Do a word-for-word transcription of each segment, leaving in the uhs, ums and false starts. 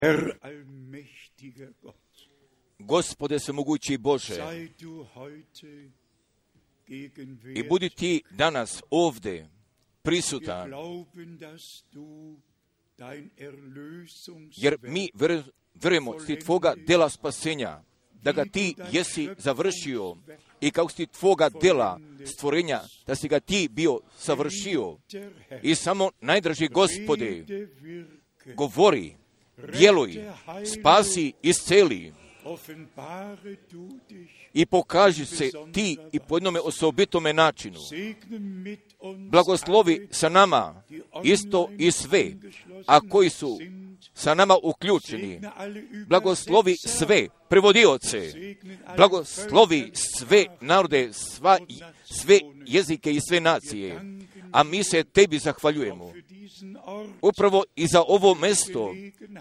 Herr allmächtiger Gott, Gospode svemogući Bože, sei du heute gegenwärtig. i budi ti danas ovdje Wir prisutan, glauben, dass du dein jer Erlösungswerk mi vjer- vjerujemo si tvoga dela spasenja, da ga ti jesi završio i kako si tvoga dela stvorenja, da si ga ti bio savršio. der Herr I samo najdraži Gospode, rede, wirke, govori, djeluj, spasi, isceli offenbare du dich, i pokaži se ti i po jednome osobitome načinu. segne mit uns Blagoslovi alle, sa nama isto i sve, a koji su sa nama uključeni. segne alle Blagoslovi Übersetzer, sve prevodioce, segne alle blagoslovi Völker, sve narode, sva, sve jezike i sve nacije. A mi se tebi zahvaljujemo. für diesen Ort, Upravo i za ovo mesto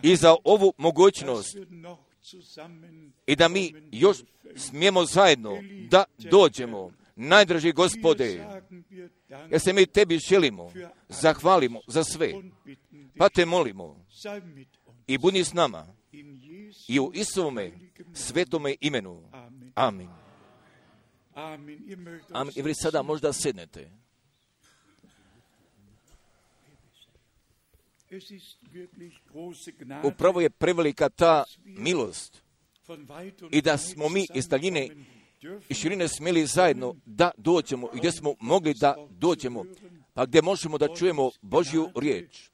i za ovu mogućnost dass wir noch zusammen i da mi još smijemo zajedno da dođemo. Najdraži Gospode, sagen wir Dank jer se mi tebi želimo, zahvalimo za sve, und bitten dich, pa te molimo sei mit uns. i budi s nama In Jesu i u Isovome svetome imenu. Amen. Amin. Amen. Ihr mögt Amin. uns I vi sada možda sednete. Es ist wirklich große Gnade, Upravo je prevelika ta milost von weit und i da breit smo mi iz daljine zusammenkommen dürfen, i širine smjeli zajedno da dođemo i gdje smo mogli da dođemo, pa gdje možemo da čujemo Božju riječ.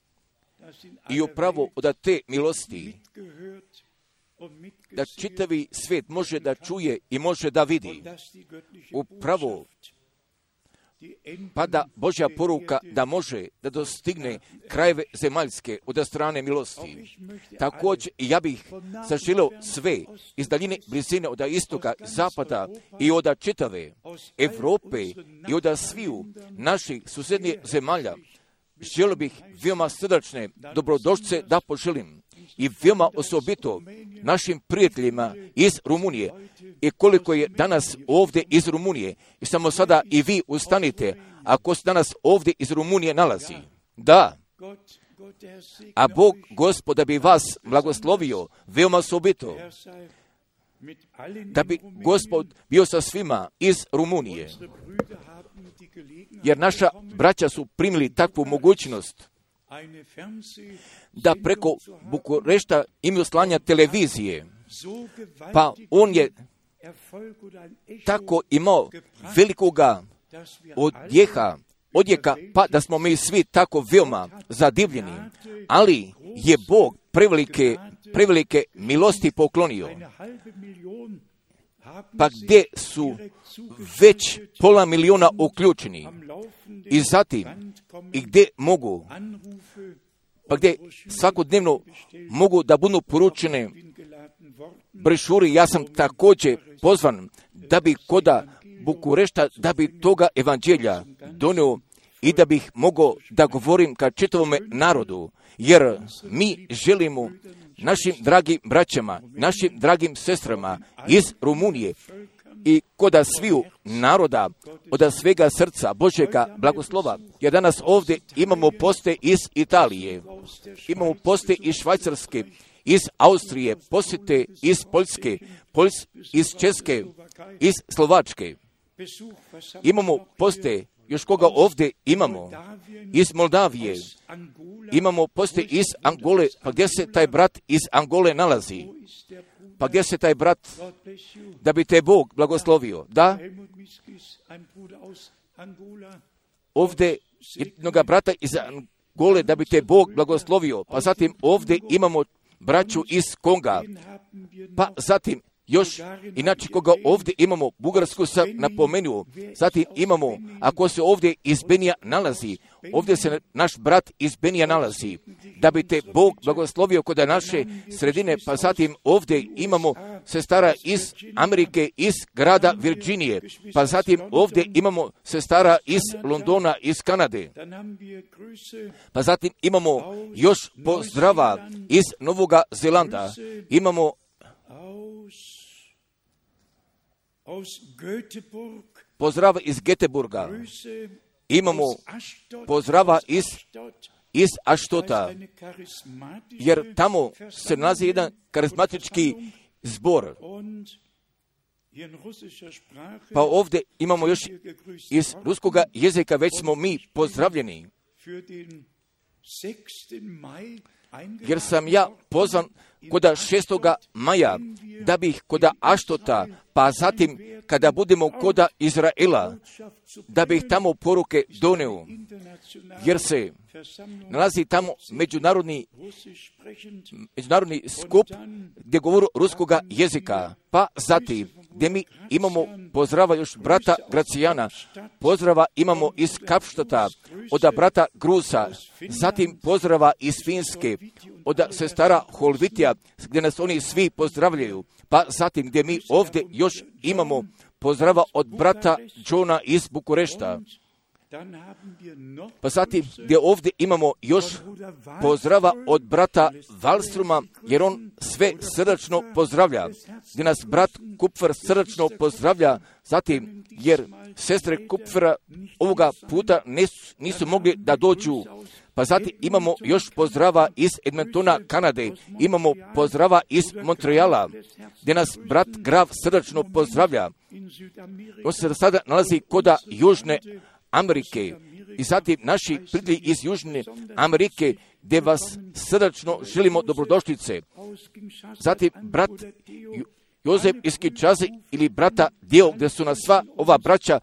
dass in I aller upravo Welt od te milosti mitgehört und da mitgesehen čitavi svijet može da čuje i može da vidi. und dass die göttliche Upravo Botschaft die Enden pa da Božja der poruka Erde da može da dostigne krajeve zemaljske od strane milosti. Također i ja bih zaželio sve iz daljine blizine od istoka, zapada i od čitave Evrope i od sviju naših susjednih zemalja. Želio bih veoma srdačne dobrodošlice da poželim i veoma osobito našim prijateljima iz Rumunije. I koliko je danas ovdje iz Rumunije, i samo sada i vi ustanite, ako se danas ovdje iz Rumunije nalazi. Da, Gott, Gott, der segne a Bog, euch, Gospod, da bi vas blagoslovio veoma osobito, er sei mit allen da in bi Rumänien. Gospod bio sa svima iz Rumunije. Unsere Brüder haben die Gelegenheit Jer naša bekommen, braća su primili takvu mogućnost eine Fernseh- da preko Bukurešta imaju slanja televizije, so gewaltig pa on je Erfolg oder ein Echo, tako imao velikoga dass wir odjeha, odjeka, pa da smo mi svi tako veoma zadivljeni. Ali je Bog prevelike, prevelike milosti poklonio. eine halbe Million haben Pa sich gdje su direkt već zugeschaltet pola miliona uključeni am laufenden i zatim Band kommen i gdje mogu, Anrufe, pa gdje svakodnevno mogu da budu poručene bin geladen worden, brošuri. Ja sam također pozvan da bi koda Bukurešta, da bi toga evanđelja donio i da bih mogao da govorim ka čitavome narodu, jer mi želimo našim dragim braćama, našim dragim sestrama iz Rumunije i koda sviju naroda od svega srca Božjega blagoslova. Jer danas ovdje imamo poste iz Italije, imamo poste iz Švajcarske, iz Austrije, posjete iz Poljske, Poljs, iz Česke, iz Slovačke. Besuch versammelt Imamo noch poste, još koga ovdje imamo, iz Moldavije, Angola, imamo poste iz Angole, pa gdje se taj brat iz Angole nalazi? wo ist der Bruder? Pa gdje se taj brat, God bless you. da bi te Bog blagoslovio? Da, Helmut Miskis, ein Bruder aus Angola. ovdje jednoga brata iz Angole, da bi te Bog blagoslovio. Pa zatim ovdje imamo braću iz Konga, Den haben wir pa noch. zatim još, inače koga ovdje imamo, Bugarsku sam napomenuo, zatim imamo, ako se ovdje iz Benija nalazi, ovdje se naš brat iz Benija nalazi, da bi te Bog blagoslovio kod naše sredine, pa zatim ovdje imamo sestara iz Amerike, iz grada Virginije, pa zatim ovdje imamo sestara iz Londona, iz Kanade, Dann haben wir Grüße pa zatim imamo još pozdrava iz Novoga Zelanda, imamo aus, aus Göteborg, pozdrava iz Göteborga, Grüße imamo aus Ashdod, pozdrava aus iz Ashdod, iz Aštota, jer tamo se nalazi jedan karizmatički zbor. Pa ovdje imamo još iz ruskoga jezika, već smo mi pozdravljeni. Jer sam ja pozvan koda šestoga maja, da bih koda Aštota, pa zatim kada budemo koda Izraela, da bih tamo poruke doneo, jer se nalazi tamo međunarodni, međunarodni skup gdje govoru ruskoga jezika, pa zatim gdje mi imamo pozdrava još brata Gracijana, pozdrava imamo iz Kapštata, od brata Grusa, zatim pozdrava iz Finske, od sestara Holvitija, gdje nas oni svi pozdravljaju, pa zatim gdje mi ovdje još imamo pozdrava od brata Johna iz Bukurešta, pa zatim gdje ovdje imamo još pozdrava od brata Valstruma, jer on sve srdačno pozdravlja, gdje nas brat Kupfer srdačno pozdravlja, zatim jer sestre Kupfera ovoga puta nisu, nisu mogli da dođu. Pa zatim imamo još pozdrava iz Edmontona, Kanade, imamo pozdrava iz Montreala, gdje nas brat Grav srdačno pozdravlja. On se sada nalazi koda Južne Amerike i zatim naši prijatelji iz Južne Amerike, gdje vas srdačno želimo dobrodošlice. Zatim brat Jozef iz Kinshase ili brata Dio, gdje su nas sva ova braća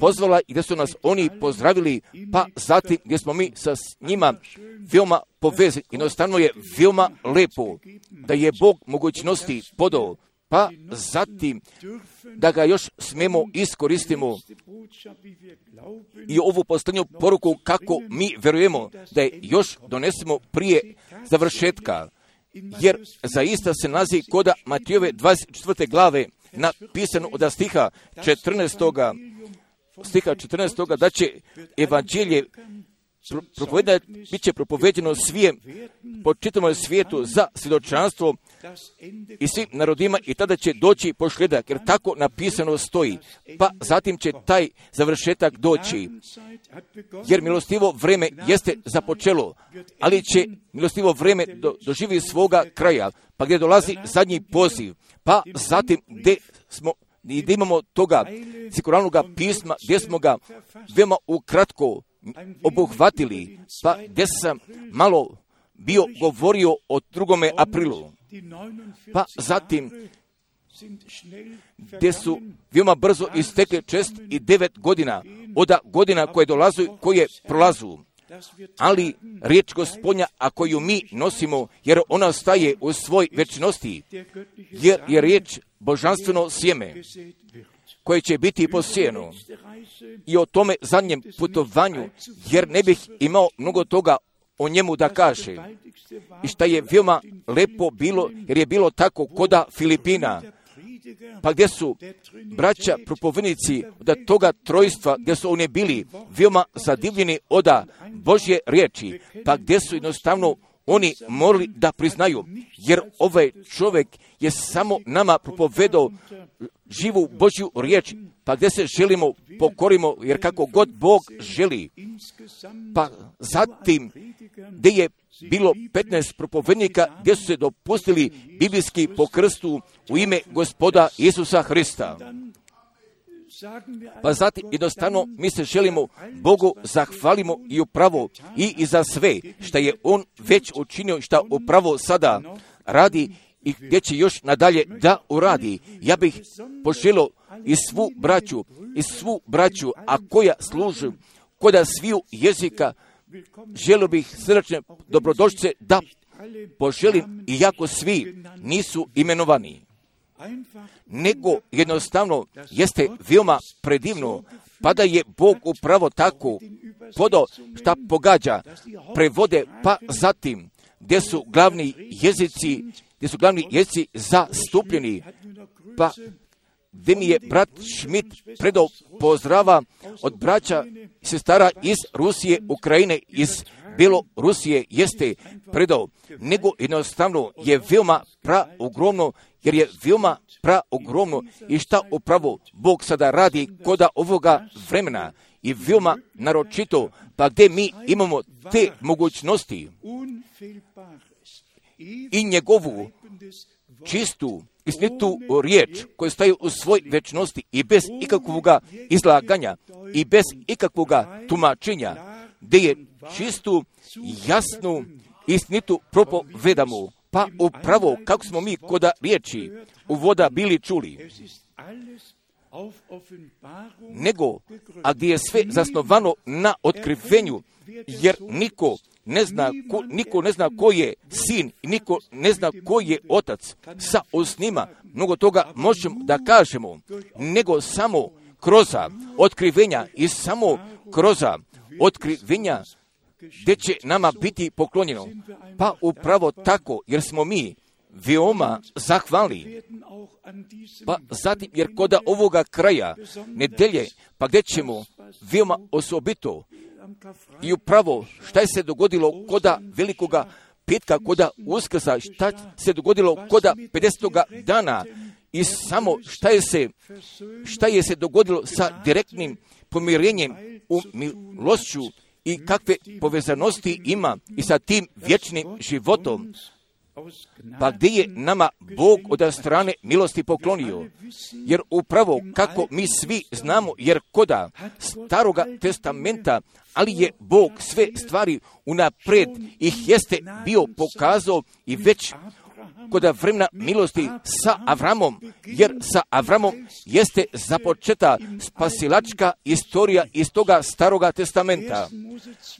pozvala i gdje su nas oni pozdravili, pa zatim gdje smo mi sa njima veoma povezani. Jednostavno je veoma lepo da je Bog mogućnosti podao, pa zatim da ga još smemo iskoristimo i ovu posljednju poruku kako mi verujemo da je još donesemo prije završetka. Jer zaista se nalazi koda Matijove dvadeset četvrte glave napisano od stiha četrnaestoga stiha četrnaestoga da će evanđelje propovedati, bit će propoveđeno svijem, po čitavom svijetu za svjedočanstvo i svim narodima i tada će doći pošljedak, jer tako napisano stoji. Pa zatim će taj završetak doći, jer milostivo vreme jeste započelo, ali će milostivo vreme do, doživi svoga kraja, pa gdje dolazi zadnji poziv, pa zatim gdje smo i gdje imamo toga sekuralnog pisma, gdje smo ga veoma ukratko obuhvatili, pa gdje sam malo bio govorio o drugome aprilu, pa zatim gdje su veoma brzo istekle šest i devet godina od godina koje dolazu, koje prolazu. Ali riječ Gospodnja, a koju mi nosimo, jer ona staje u svoj večnosti, jer je riječ božanstveno sjeme koje će biti posijeno. I o tome zadnjem putovanju, jer ne bih imao mnogo toga o njemu da kaže. I šta je veoma lepo bilo, jer je bilo tako koda Filipina, pa gdje su braća propovednici od toga trojstva, gdje su oni bili veoma zadivljeni od Božje riječi, pa gdje su jednostavno oni morali da priznaju, jer ovaj čovjek je samo nama propovedao živu Božju riječ, pa gdje se želimo pokorimo, jer kako god Bog želi. Pa zatim gdje je bilo petnaest propovednika gdje su se dopustili biblijski po krstu u ime Gospoda Isusa Hrista. Pa zatim jednostavno mi se želimo Bogu zahvalimo i upravo i, i za sve što je On već učinio, što upravo sada radi i gdje će još nadalje da uradi. Ja bih poželio i svu braću, i svu braću, a koja služu koda sviju jezika, želio bih srdačne dobrodošlice da poželim, iako svi nisu imenovani. Nego jednostavno jeste veoma predivno, pa da je Bog upravo tako podao šta pogađa, prevode, pa zatim gdje su glavni jezici, gdje su glavni jezici zastupljeni, pa gdje mi je brat Schmidt predao pozdrava od braća i sestara iz Rusije, Ukrajine, iz Belorusije jeste predao, nego jednostavno je veoma praogromno, jer je veoma praogromno i šta upravo Bog sada radi koda ovoga vremena i veoma naročito, pa gdje mi imamo te mogućnosti i njegovu čistu, istinitu riječ koju staju u svoj večnosti i bez ikakvog izlaganja i bez ikakvog tumačenja, gdje je čistu, jasnu, istinitu propovedamo. Pa upravo kako smo mi koda riječi uvoda bili čuli, nego, a gdje je sve zasnovano na otkrivenju, jer niko ne zna ko, niko ne zna ko je sin i niko ne zna ko je otac. Sa osnima mnogo toga možemo da kažemo, nego samo kroz otkrivenja i samo kroz otkrivenja gdje će nama biti poklonjeno. Pa upravo tako, jer smo mi veoma zahvalni. Pa zatim, jer koda ovoga kraja nedelje, pa gdje ćemo veoma osobito i upravo šta je se dogodilo koda velikoga petka, koda Uskrsa, šta se dogodilo koda pedesetoga dana i samo šta je se, šta je se dogodilo sa direktnim pomirenjem u milošću i kakve povezanosti ima i sa tim vječnim životom. Pa gdje je nama Bog od strane milosti poklonio? Jer upravo kako mi svi znamo, jer koda Staroga testamenta, ali je Bog sve stvari unapred ih jeste bio pokazao i već koda vremena milosti sa Avramom, jer sa Avramom jeste započeta spasilačka istorija iz toga Staroga testamenta.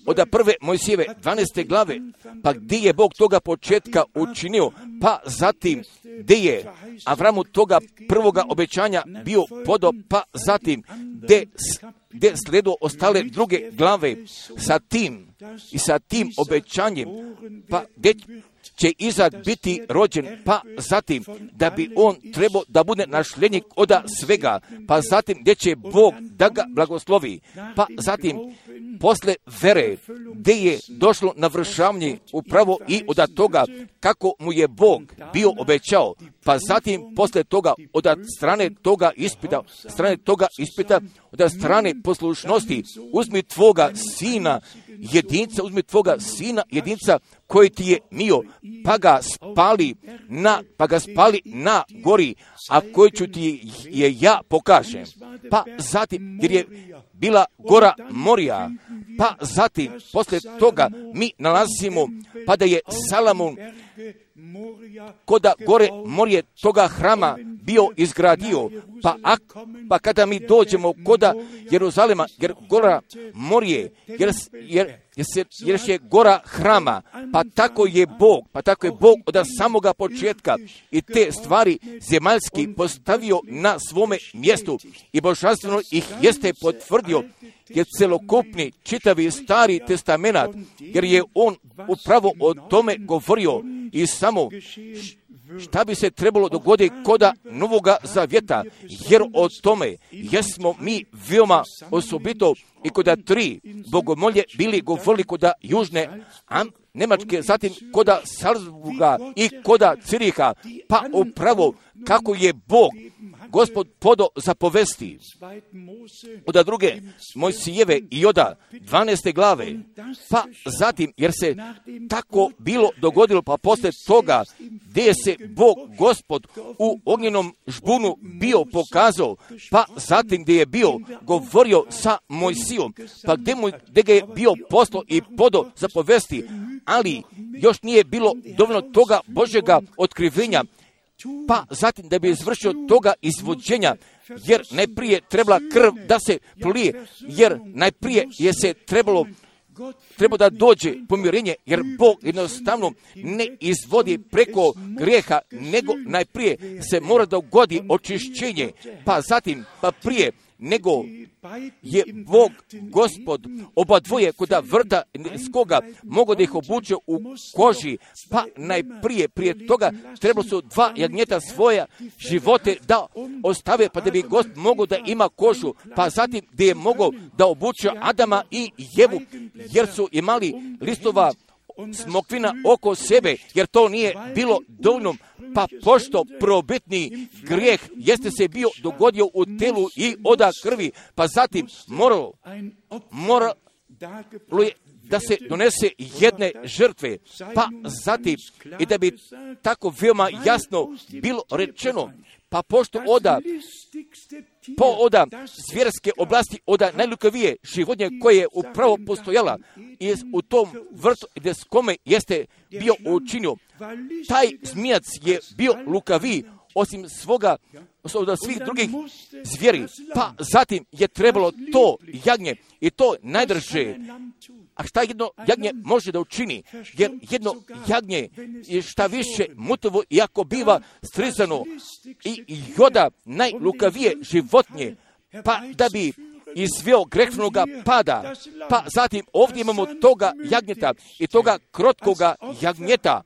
Od prve Mojsijeve dvanaeste glave, pa gdje je Bog toga početka učinio, pa zatim gdje je Avramu toga prvoga obećanja bio podo, pa zatim gdje, gdje sledo ostale druge glave sa tim i sa tim obećanjem, pa gdje će Izak biti rođen, pa zatim da bi on trebao da bude našljednik od svega, pa zatim gdje će Bog da ga blagoslovi, pa zatim posle vere gdje je došlo navršavanje upravo i od toga kako mu je Bog bio obećao, pa zatim posle toga od strane toga ispita, strane toga ispita, od strane poslušnosti, uzmi tvoga sina jedinca, uzmi tvoga sina jedinca koji ti je mio, pa ga spali na, pa ga spali na gori, a koji ću ti je ja pokažem. Pa zatim, jer je bila gora Morija, pa zatim, posle toga mi nalazimo, pa da je Salomon koda gore Morije toga hrama bio izgradio, pa, ak, pa kada mi dođemo koda Jeruzalema, jer gora Morije, jer, jer, jer, se, jer je gora hrama, pa tako je Bog, pa tako je Bog od samoga početka i te stvari zemaljski postavio na svome mjestu i božanstveno ih jeste potvrdio, jer celokupni čitavi stari testamenat, jer je on upravo o tome govorio i samo šta bi se trebalo dogoditi koda Novoga Zavjeta, jer o tome jesmo mi veoma osobito i koda tri bogomolje bili govorili koda Južne Am, Nemačke, zatim koda Salzburga i koda Ciriha, pa upravo kako je Bog, Gospod podo zapovesti od druge Mojsijeve i od dvanaeste glave, pa zatim, jer se tako bilo dogodilo, pa posle toga gdje je se Bog, Gospod u ognjenom žbunu bio pokazao, pa zatim gdje je bio govorio sa Mojsijom, pa gdje, mu, gdje ga je bio poslao i podo zapovesti, ali još nije bilo dovoljno toga Božjega otkrivenja, pa zatim da bi izvršio toga izvođenja, jer najprije trebala krv da se prolije, jer najprije je se trebalo treba da dođe pomirenje, jer Bog jednostavno ne izvodi preko grijeha, nego najprije se mora da ugodi očišćenje, pa zatim, pa prije nego je Bog, Gospod, oba dvoje koda vrta s koga mogu da ih obuče u koži, pa najprije, prije toga trebalo su dva jagnjeta svoja živote da ostave, pa da bi Gospod mogao da ima kožu, pa zatim gdje je mogao da obuče Adama i Jevu, jer su imali listova smokvina oko sebe, jer to nije bilo dovoljno, pa pošto probitni grijeh jeste se bio dogodio u telu i oda krvi, pa zatim moralo, moralo je da se donese jedne žrtve, pa zatim i da bi tako veoma jasno bilo rečeno, pa pošto oda, po oda zvjerske oblasti, oda najlukavije životinje koje je upravo postojala i u tom vrtu gdje s kome jeste bio učinio, taj zmijac je bio lukaviji osim svoga, od svih drugih zvijeri, pa zatim je trebalo to jagnje i to najdrže. A šta jedno jagnje može da učini? Jer jedno jagnje je šta više mutovo i ako biva strizano i joda najlukavije životinje, pa da bi izveo grehnoga pada, pa zatim ovdje imamo toga jagnjeta i toga krotkoga jagnjeta,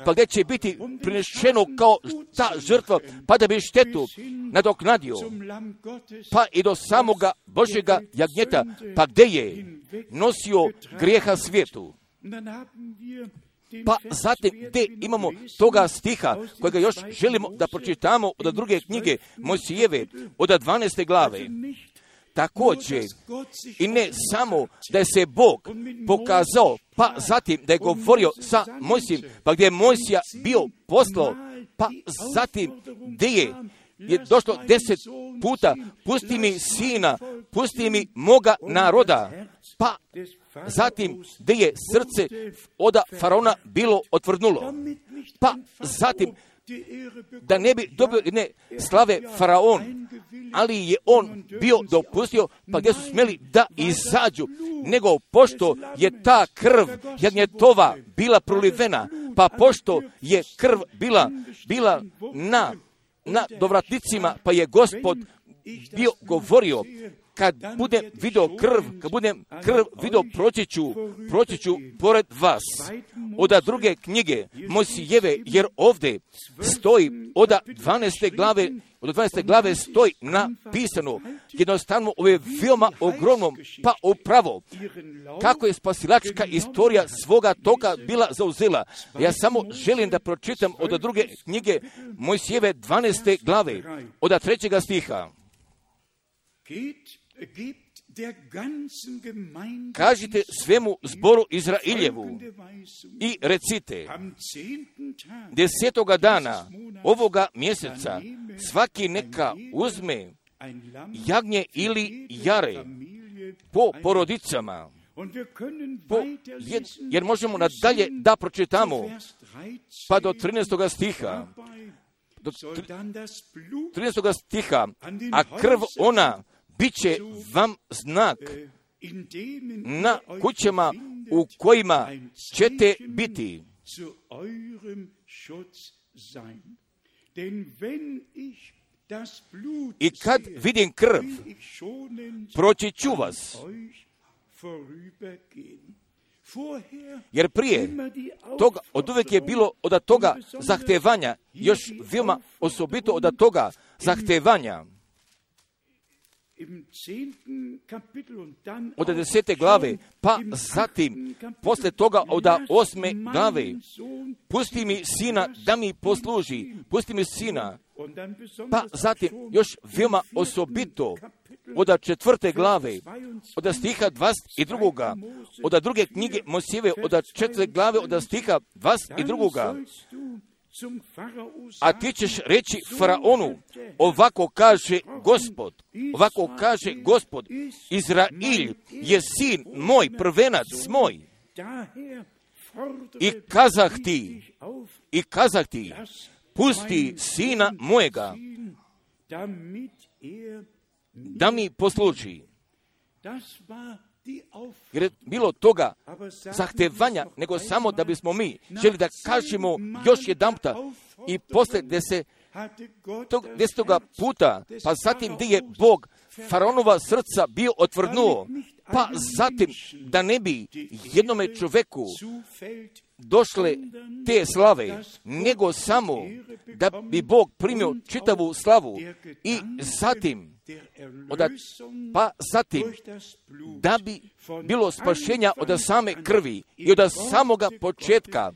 pa gdje će biti prinešeno kao ta žrtva, pa da bi štetu nadoknadio, pa i do samoga Božjega jagnjeta, pa gdje je nosio grijeha svijetu. Pa zatim gdje imamo toga stiha kojega još želimo da pročitamo od druge knjige Mojsijeve, od dvanaeste glave. Također, i ne samo da je se Bog pokazao, pa zatim da je govorio sa Mojsijem, pa gdje je Mojsija bio poslao, pa zatim gdje je, je došlo deset puta, pusti mi sina, pusti mi moga naroda, pa zatim gdje je srce oda faraona bilo otvrdnulo, pa zatim da ne bi dobio ne slave faraon, ali je on bio dopustio, pa gdje su smjeli da izađu, nego pošto je ta krv jagnjetova bila prolivena, pa pošto je krv bila, bila na, na dovratnicima, pa je Gospod bio govorio, kad budem vidio krv, kad budem krv vidio, proći ću, proći ću pored vas. Oda druge knjige Mojsijeve, jer ovdje stoji oda dvanaeste glave, od dvanaeste glave stoji napisano, jednostavno ovo je veoma ogromno, pa upravo, kako je spasilačka istorija svoga toka bila zauzela. Ja samo želim da pročitam od druge knjige Mojsijeve dvanaeste glave, od trećega stiha. Kažite svemu zboru Izrailjevu i recite, desetoga dana ovoga mjeseca svaki neka uzme jagnje ili jare po porodicama, po, jer, jer možemo nadalje da pročitamo, pa do trinaestoga stiha, do trinaestoga stiha, a krv ona biće vam znak na kućama u kojima ćete biti. I kad vidim krv, proći ću vas. Jer prije toga, od uvijek je bilo od toga zahtevanja, još veoma osobito od toga zahtevanja. Od desete glave, pa zatim, posle toga od osme glave, pusti mi sina da mi posluži, pusti mi sina, pa zatim još veoma osobito od četvrte glave, od stiha dvadeset dva, od druge knjige Mojsijeve, od četvrte glave, od stiha dvadeset dva, a ti ćeš reći faraonu, ovako kaže Gospod, ovako kaže Gospod, Izrail je sin moj, prvenac moj. I kazah ti, i kazah ti, pusti sina mojega, da mi posluži. Jer je bilo toga zahtevanja, nego samo da bismo mi želi da kažemo još jedanputa i posle desetoga puta, pa zatim gdje je Bog faraonova srca bio otvrdnuo, pa zatim da ne bi jednome čoveku došle te slave, nego samo da bi Bog primio čitavu slavu i zatim Oda, pa zatim, da bi bilo spašenja od same krvi i od samoga početka,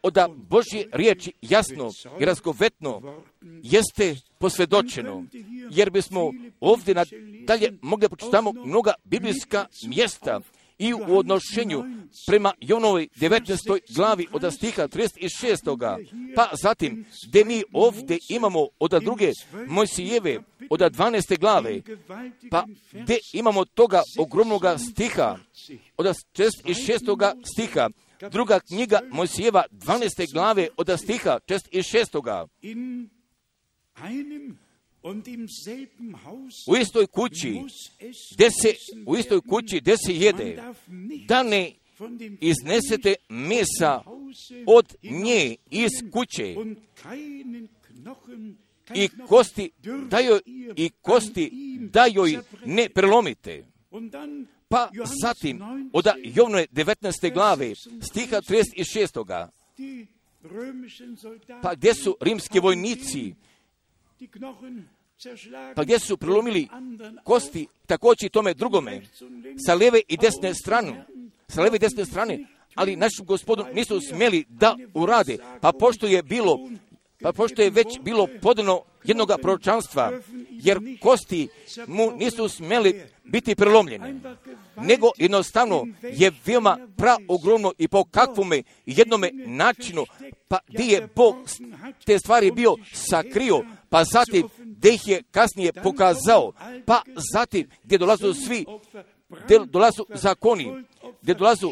od Božje riječi jasno i razgovetno jeste posvjedočeno, jer bismo ovdje nadalje mogli počitamo mnoga biblijska mjesta i u odnošenju prema Jonovoj devetnaestoj glavi od stiha trideset šest. Pa zatim, gdje mi ovdje imamo od druge Mojsijeve od dvanaeste glave, pa gdje imamo toga ogromnoga stiha od četrdeset šestog stiha, druga knjiga Mojsijeva dvanaeste glave od stiha četrdeset šest. U istoj kući, gdje se, u istoj kući gdje se jede, da ne iznesete mesa od nje iz kuće i kosti da joj, i kosti da joj ne prelomite. Pa zatim, od Jovnove devetnaeste glave, stiha trideset šest. Pa gdje su rimski vojnici, pa gdje su prelomili kosti također i tome drugome, sa lijeve i desne strane, sa lijeve i desne strane, ali našu Gospodu nisu smjeli da urade, pa pošto je bilo, pa pošto je već bilo podano jednoga proročanstva, jer kosti mu nisu smjeli biti prelomljene, nego jednostavno je veoma praogromno i po kakvome jednome načinu, pa gdje je Bog te stvari bio sakrio, pa zatim gdje ih je kasnije pokazao, pa zatim gdje dolazu svi, gdje dolazu zakoni, gdje dolazu,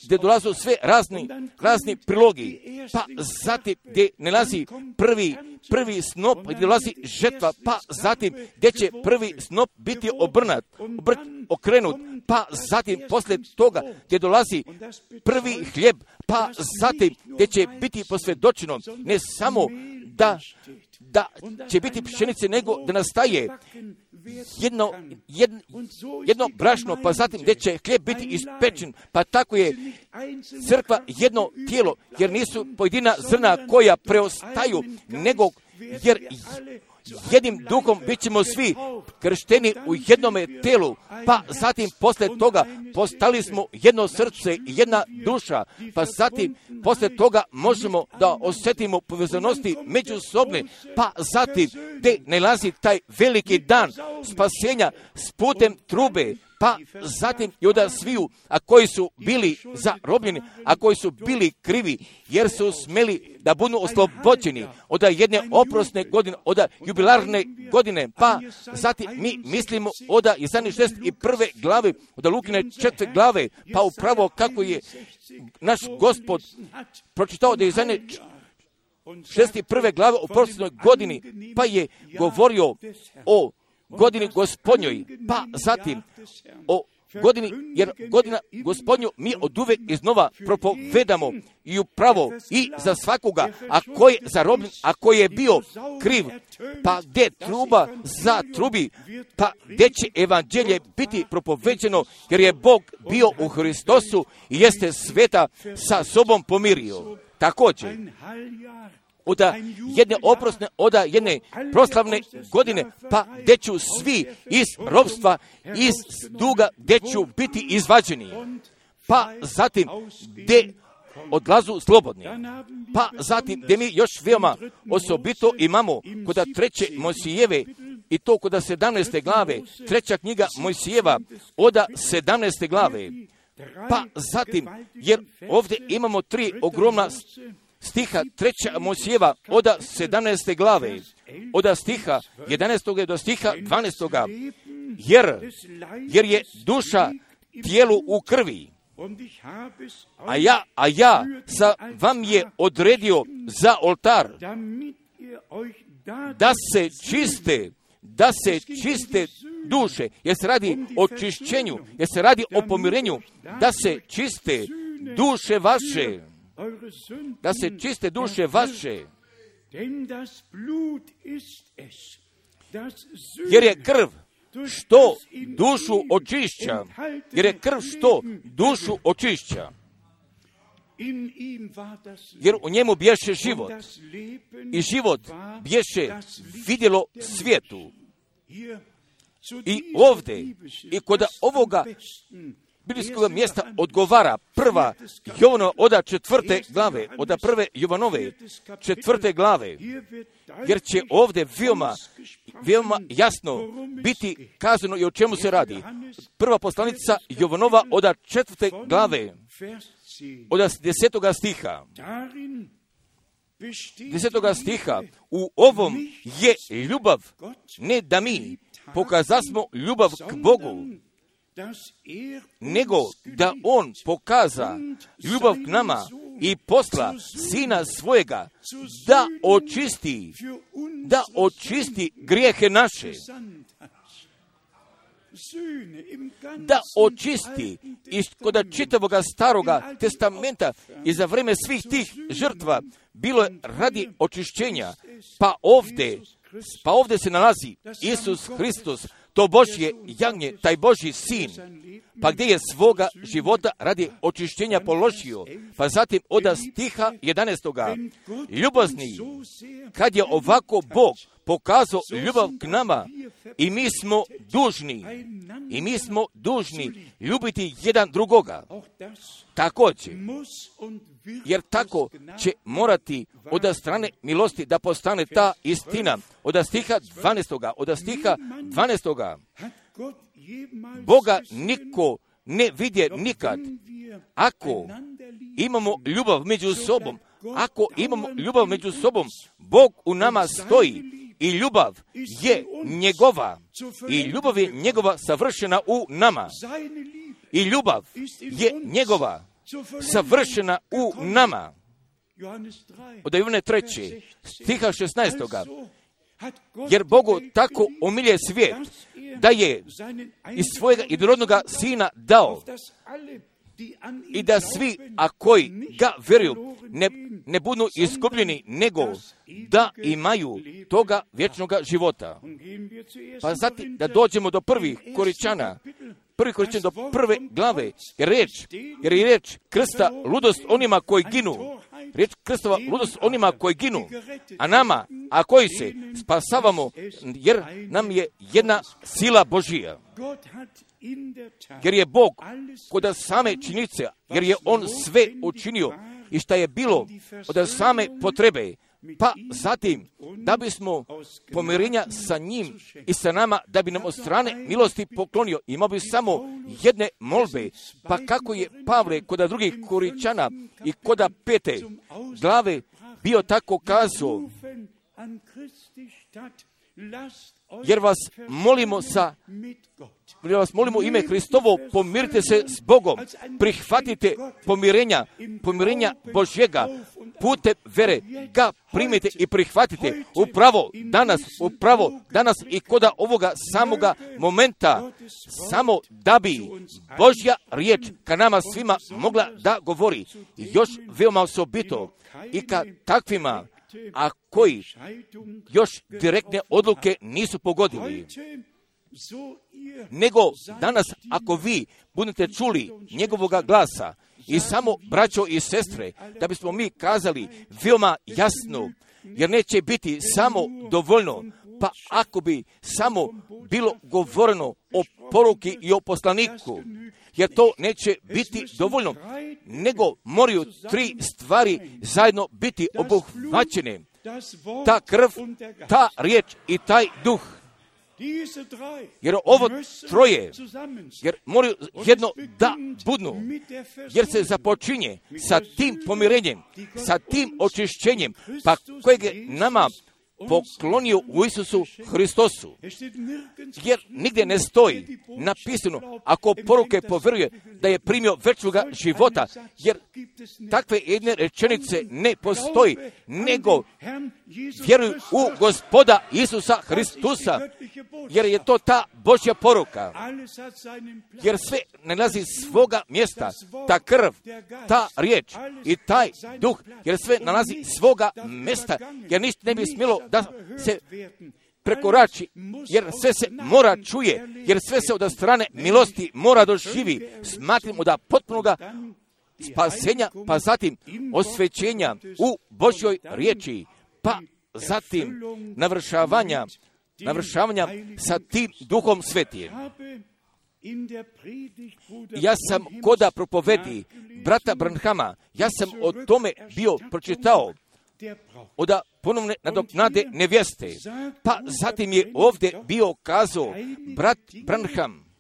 gdje dolazu sve razni, razni prilogi, pa zatim gdje nalazi prvi, prvi snop, gdje dolazi žetva, pa zatim gdje će prvi snop biti obrnat, obrt, okrenut, pa zatim poslije toga gdje dolazi prvi hljeb, pa zatim gdje će biti posvjedočeno ne samo da da će biti pšenice, nego da nastaje jedno, jedno, jedno brašno, pa zatim gdje će hljeb biti ispečen, pa tako je crkva jedno tijelo, jer nisu pojedina zrna koja preostaju, nego jer jednim duhom bit ćemo svi kršteni u jednome tijelu, pa zatim poslije toga postali smo jedno srce i jedna duša, pa zatim poslije toga možemo da osjetimo povezanosti međusobne, pa zatim gdje nalazi taj veliki dan spasenja s putem trube, pa zatim i od sviju, a koji su bili zarobljeni, a koji su bili krivi, jer su smjeli da budu oslobođeni od jedne oprosne godine, od jubilarne godine, pa zatim mi mislimo od Izaije šezdeset prve glave, od Lukine četvrte glave, pa upravo kako je naš Gospod pročitao da je Izaije šezdeset prve glave u prošloj godini, pa je govorio o godini Gospodnjoj, pa zatim o godini, jer godina Gospodnju mi od uvek iznova propovedamo i upravo i za svakoga, a ko je zarobljen, a ko je bio kriv, pa gdje truba za trubi, pa gdje će evanđelje biti propoveđeno, jer je Bog bio u Hristosu i jeste sveta sa sobom pomirio. Također, od jedne oprosne, od jedne proslavne godine, pa gdje ću svi iz ropstva, iz duga, gdje ću biti izvađeni, pa zatim gdje odlazu slobodni, pa zatim gdje mi još veoma osobito imamo kod treće Mojsijeve, i to kod sedamnaeste glave, treća knjiga Mojsijeva od sedamnaeste glave, pa zatim, jer ovdje imamo tri ogromna stiha treća Mojsijeva od sedamnaeste glave, od stiha jedanaestog do stiha dvanaestog, jer, jer je duša tijelu u krvi, a ja, a ja sa vam je odredio za oltar, da se čiste, da se čiste duše, jer se radi o čišćenju, jer se radi o pomirenju, da se čiste duše vaše, da se čiste duše vaše, jer je krv što dušu očišća, jer je krv što dušu očišća, jer u njemu bješe život i život bješe vidjelo svijetu. i ovdje, i kod ovoga biblijskog mjesta odgovara prva Jovanova oda četvrte glave, oda prve Jovanove četvrte glave, jer će ovdje veoma, veoma jasno biti kazano i o čemu se radi. Prva poslanica Jovanova oda četvrte glave, oda desetoga stiha. Desetoga stiha, u ovom je ljubav, ne da mi pokazasmo ljubav k Bogu, nego da on pokaza ljubav k nama i posla Sina svojega da očisti, da očisti grijehe naše, da očisti iz kod čitavoga staroga testamenta i za vrijeme svih tih žrtva bilo je radi očišćenja, pa ovdje, pa ovdje se nalazi Isus Hristos, to Božje jagnje, taj Božji sin, pa gdje je svoga života radi očišćenja položio, pa zatim oda stiha jedanaestoga. Ljubazni, kad je ovako Bog pokazao ljubav k nama i mi smo dužni, i mi smo dužni ljubiti jedan drugoga. Također, jer tako će morati od strane milosti da postane ta istina. Od stiha dvanaestoga. Od stiha dvanaestoga. Boga niko ne vidje nikad. Ako imamo ljubav među sobom, ako imamo ljubav među sobom, Bog u nama stoji i ljubav je njegova. I ljubav je njegova savršena u nama. I ljubav je njegova savršena u nama. Od Jovane treće, stiha šesnaestoga. Jer Bogu tako omilje svijet, da je iz svojega jedinorodnoga sina dao, i da svi, a koji ga vjeruju, ne, ne budu izgubljeni, nego da imaju toga vječnoga života. Pa zatim da dođemo do prvih Koričana, prvi Koričan do prve glave, jer riječ, jer je riječ krsta ludost onima koji ginu, riječ krstova ludost onima koji ginu, a nama, a koji se spasavamo, jer nam je jedna sila Božija. Jer je Bog kod same činjenice, jer je On sve učinio i šta je bilo od same potrebe, pa zatim da bismo pomirenja sa njim i sa nama, da bi nam od strane milosti poklonio. Imao bi samo jedne molbe, pa kako je Pavle kod drugih Koričana i kod pete glave bio tako kazao, jer vas molimo sa jer vas molimo u ime Hristovo, pomirite se s Bogom, prihvatite pomirenja, pomirenja Božjega, putem vere ga primite i prihvatite upravo danas, upravo danas i kod ovoga samoga momenta, samo da bi Božja riječ ka nama svima mogla da govori. I još veoma osobito i ka takvima, a koji još direktne odluke nisu pogodili. Nego danas, ako vi budete čuli njegovoga glasa i samo braćo i sestre, da bismo mi kazali veoma jasno, jer neće biti samo dovoljno, pa ako bi samo bilo govoreno o poruki i o poslaniku, jer to neće biti dovoljno, nego moraju tri stvari zajedno biti obuhvaćene. Ta krv, ta riječ i taj duh. Jer ovo troje, jer moraju jedno da budnu, jer se započinje sa tim pomirenjem, sa tim očišćenjem, pa kojeg je nama poklonio u Isusu Hristosu. Jer nigdje ne stoji napisano, ako poruke povjeruje da je primio večnoga života, jer takve jedne rečenice ne postoji, nego vjeruju u Gospoda Isusa Hristusa, jer je to ta Božja poruka. Jer sve nalazi svoga mjesta, ta krv, ta riječ i taj duh, jer sve nalazi svoga mjesta, jer ništa ne bi smjelo da se prekorači, jer sve se mora čuje, jer sve se od strane milosti mora doživi. Smatramo da potpunoga spasenja, pa zatim osvećenja u Božjoj riječi, pa zatim navršavanja navršavanja sa tim Duhom Svetim. Ja sam koda propovedi brata Branhama, ja sam o tome bio pročitao, od ponovne nadoknade nevjeste. Pa zatim je ovdje bio kazao brat Branham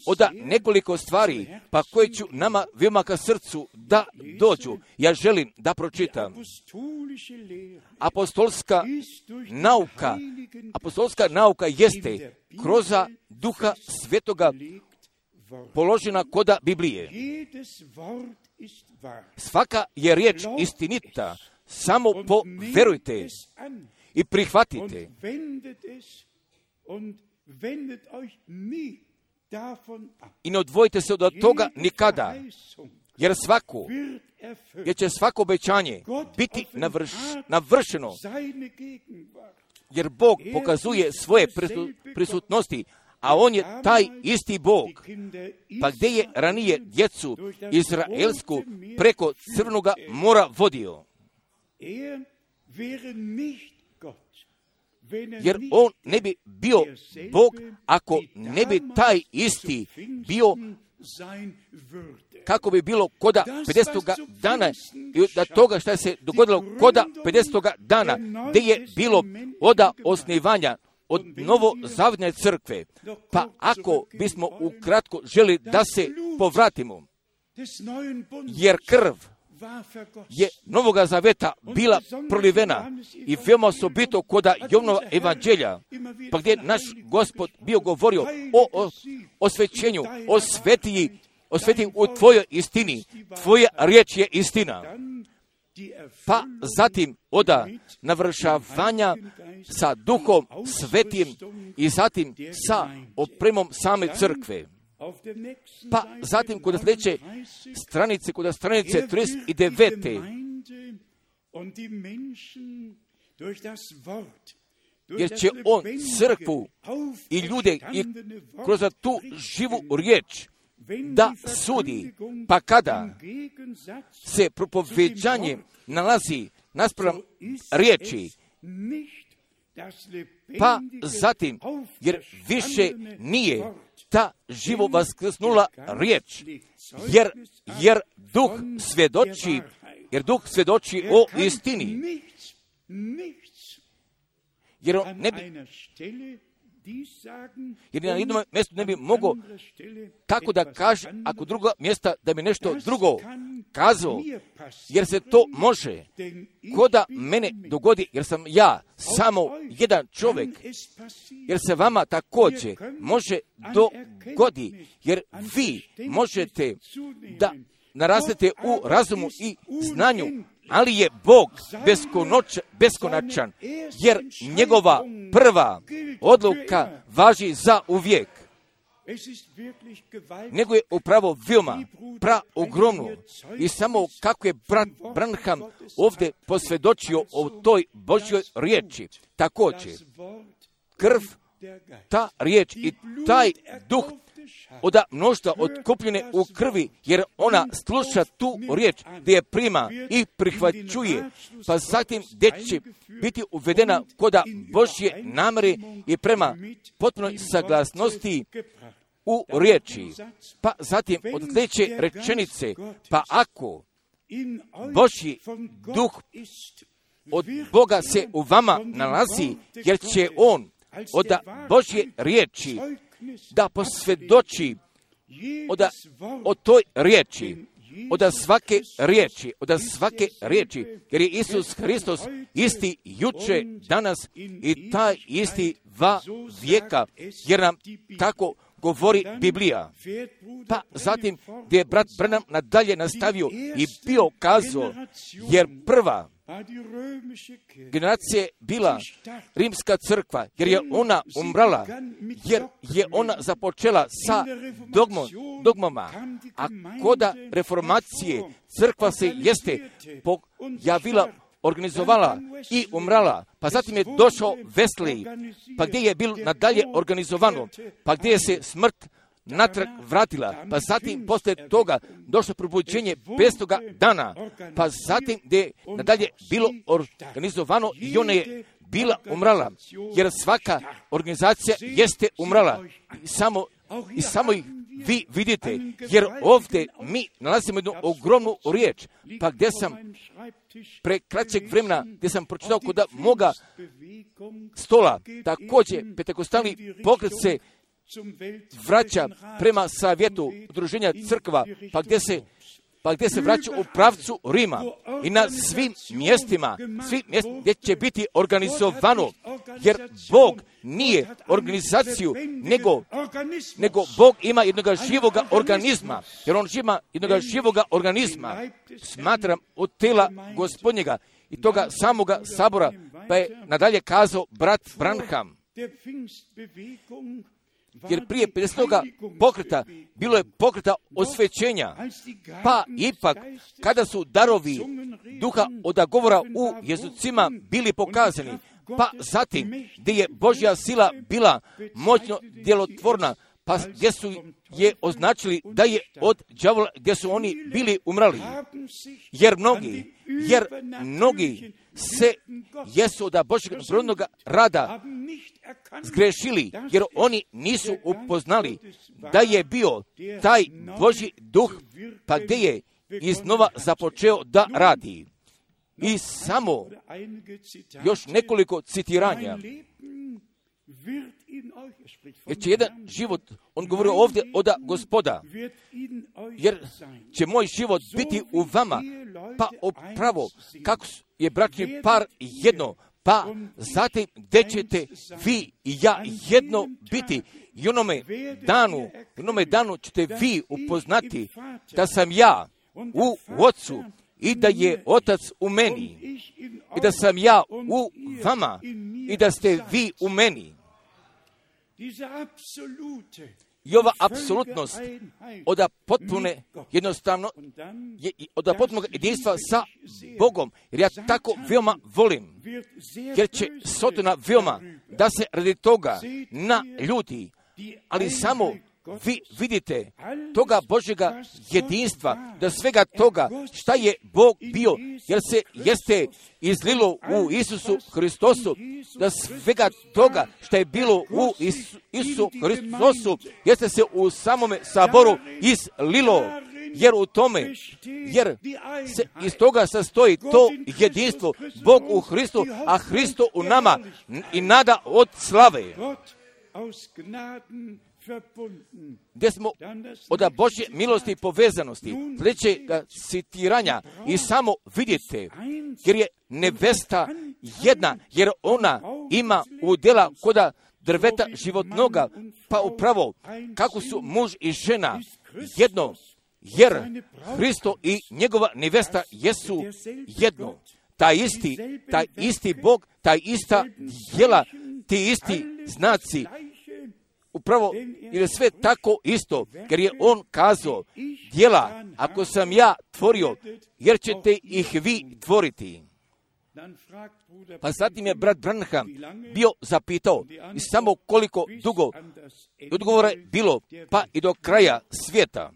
od nekoliko stvari, pa koje ću nama veoma ka srcu da dođu. Ja želim da pročitam. Apostolska nauka, apostolska nauka jeste kroz Duha Svetoga položena koda Biblije. Svaka je riječ istinita, samo poverujte i prihvatite. I ne odvojite se od toga nikada, jer svako, jer će svako obećanje biti navrš, navršeno, jer Bog pokazuje svoje prisutnosti, a On je taj isti Bog. Pa gdje je ranije djecu izraelsku preko Crnoga mora vodio? Jer On ne bi bio Bog ako ne bi taj isti bio, kako bi bilo koda pedesetoga dana i da toga što se dogodilo koda pedesetoga dana, gdje je bilo oda osnivanja od novozavjetne crkve. Pa ako bismo ukratko želi da se povratimo, jer krv je Novoga Zaveta bila prolivena i veoma osobito koda Jovanova evanđelja, pa gdje naš Gospod bio govorio o, o osvećenju, o svetiji, o svetiji u tvojoj istini, tvoja riječ je istina. Pa zatim oda navršavanja sa Duhom Svetim i zatim sa opremom same crkve. Pa zatim kod sljedeće stranice, kod stranice trideset devet. Jer će On crkvu i ljude i kroz tu živu riječ da sudi, pa kada se propoveđanje nalazi naspram riječi, pa zatim, jer više nije ta živo vaskrsnula riječ, jer, jer duh svjedoči, jer duh svjedoči o istini. Jer on ne bi, jer na jednom mjestu ne bi mogao tako da kaže, ako druga mjesta da bi nešto drugo kazao, jer se to može koda mene dogodi, jer sam ja samo jedan čovjek, jer se vama također može dogodi, jer vi možete da narastete u razumu i znanju, ali je Bog beskonačan, jer njegova prva odluka važi za uvijek. Nego je upravo veoma pra ogromno i samo kako je brat Branham ovdje posvjedočio o toj Božjoj riječi. Također, krv, ta riječ i taj duh od mnoštva otkupljene u krvi, jer ona sluša tu riječ gdje je prima i prihvaćuje, pa zatim gdje će biti uvedena koda Božje namere i prema potpunoj saglasnosti u riječi. Pa zatim od sljedeće rečenice, pa ako Božji duh od Boga se u vama nalazi, jer će On od Božje riječi da posvjedoči od, o toj riječi, od svake riječi, od svake riječi, jer je Isus Hristos isti juče, danas i taj isti va vijeka, jer nam tako govori Biblija. Pa zatim gdje je brat Branham nadalje nastavio i bio kazao, jer prva generacija bila rimska crkva, jer je ona umrala, jer je ona započela sa dogmom, dogmama, a koda reformacije crkva se jeste pojavila, organizovala i umrala, pa zatim je došao Wesley, pa gdje je bilo nadalje organizovano, pa gdje je se smrt natrag vratila, pa zatim poslije toga došlo probuđenje petstoga dana, pa zatim gdje je nadalje bilo organizovano i ona je bila umrala, jer svaka organizacija jeste umrala. I samo, i samo ih vi vidite, jer ovdje mi nalazimo jednu ogromnu riječ, pa gdje sam pre kraćeg vremena, gdje sam pročitao kod moga stola, također pentekostalni pokret se vraća prema savjetu udruženja crkva, pa gdje se pa gdje se vraća u pravcu Rima i na svim mjestima, svim mjestima gdje će biti organizovano, jer Bog nije organizaciju, nego, nego Bog ima jednoga živoga organizma, jer on ima jednoga živoga organizma, smatram od tela Gospodnjega i toga samoga sabora, pa je nadalje kazao brat Branham. Jer prije pedesetoga pokreta bilo je pokreta osvećenja, pa ipak kada su darovi duha od govora u jezucima bili pokazani, pa zatim gdje je Božja sila bila moćno djelotvorna, pa gdje su je označili da je od đavola, gdje su oni bili umrali. Jer mnogi, jer mnogi se jesu od Božjeg prirodnog rada zgrešili, jer oni nisu upoznali da je bio taj Božji duh, pa gdje je iznova započeo da radi. I samo još nekoliko citiranja. Jer će jedan život, on govori ovdje od Gospoda, jer će moj život biti u vama, pa upravo kako je bračni par jedno, pa zatim gdje ćete vi i ja jedno biti. I onome danu, onome danu ćete vi upoznati da sam ja u Otcu i da je Otac u meni i da sam ja u vama i da ste vi u meni. I ova apsolutnost od potpune jednostavno je od potpunog jedinstva sa Bogom, jer ja tako veoma volim, jer će Sotona veoma da se radi toga na ljudi, ali samo vi vidite toga Božjega jedinstva, da svega toga šta je Bog bio, jer se jeste izlilo u Isusu Hristosu, da svega toga šta je bilo u Isu, Isusu Hristosu, jeste se u samome saboru izlilo, jer u tome, jer se iz toga sastoji to jedinstvo, Bog u Hristu, a Hristo u nama i nada od slave. Gdje smo od Božje milosti i povezanosti, sljedećega citiranja, i samo vidite, jer je nevesta jedna, jer ona ima udjela koda drveta životnoga, pa upravo kako su muž i žena jedno, jer Hristo i njegova nevesta jesu jedno. Taj isti, taj isti Bog, taj ista djela, ti isti znaci, upravo, jer je sve tako isto, jer je on kazao, djela, ako sam ja tvorio, jer ćete ih vi tvoriti. Pa zatim je brat Branham bio zapitao, i samo koliko dugo odgovora je bilo, pa i do kraja svijeta.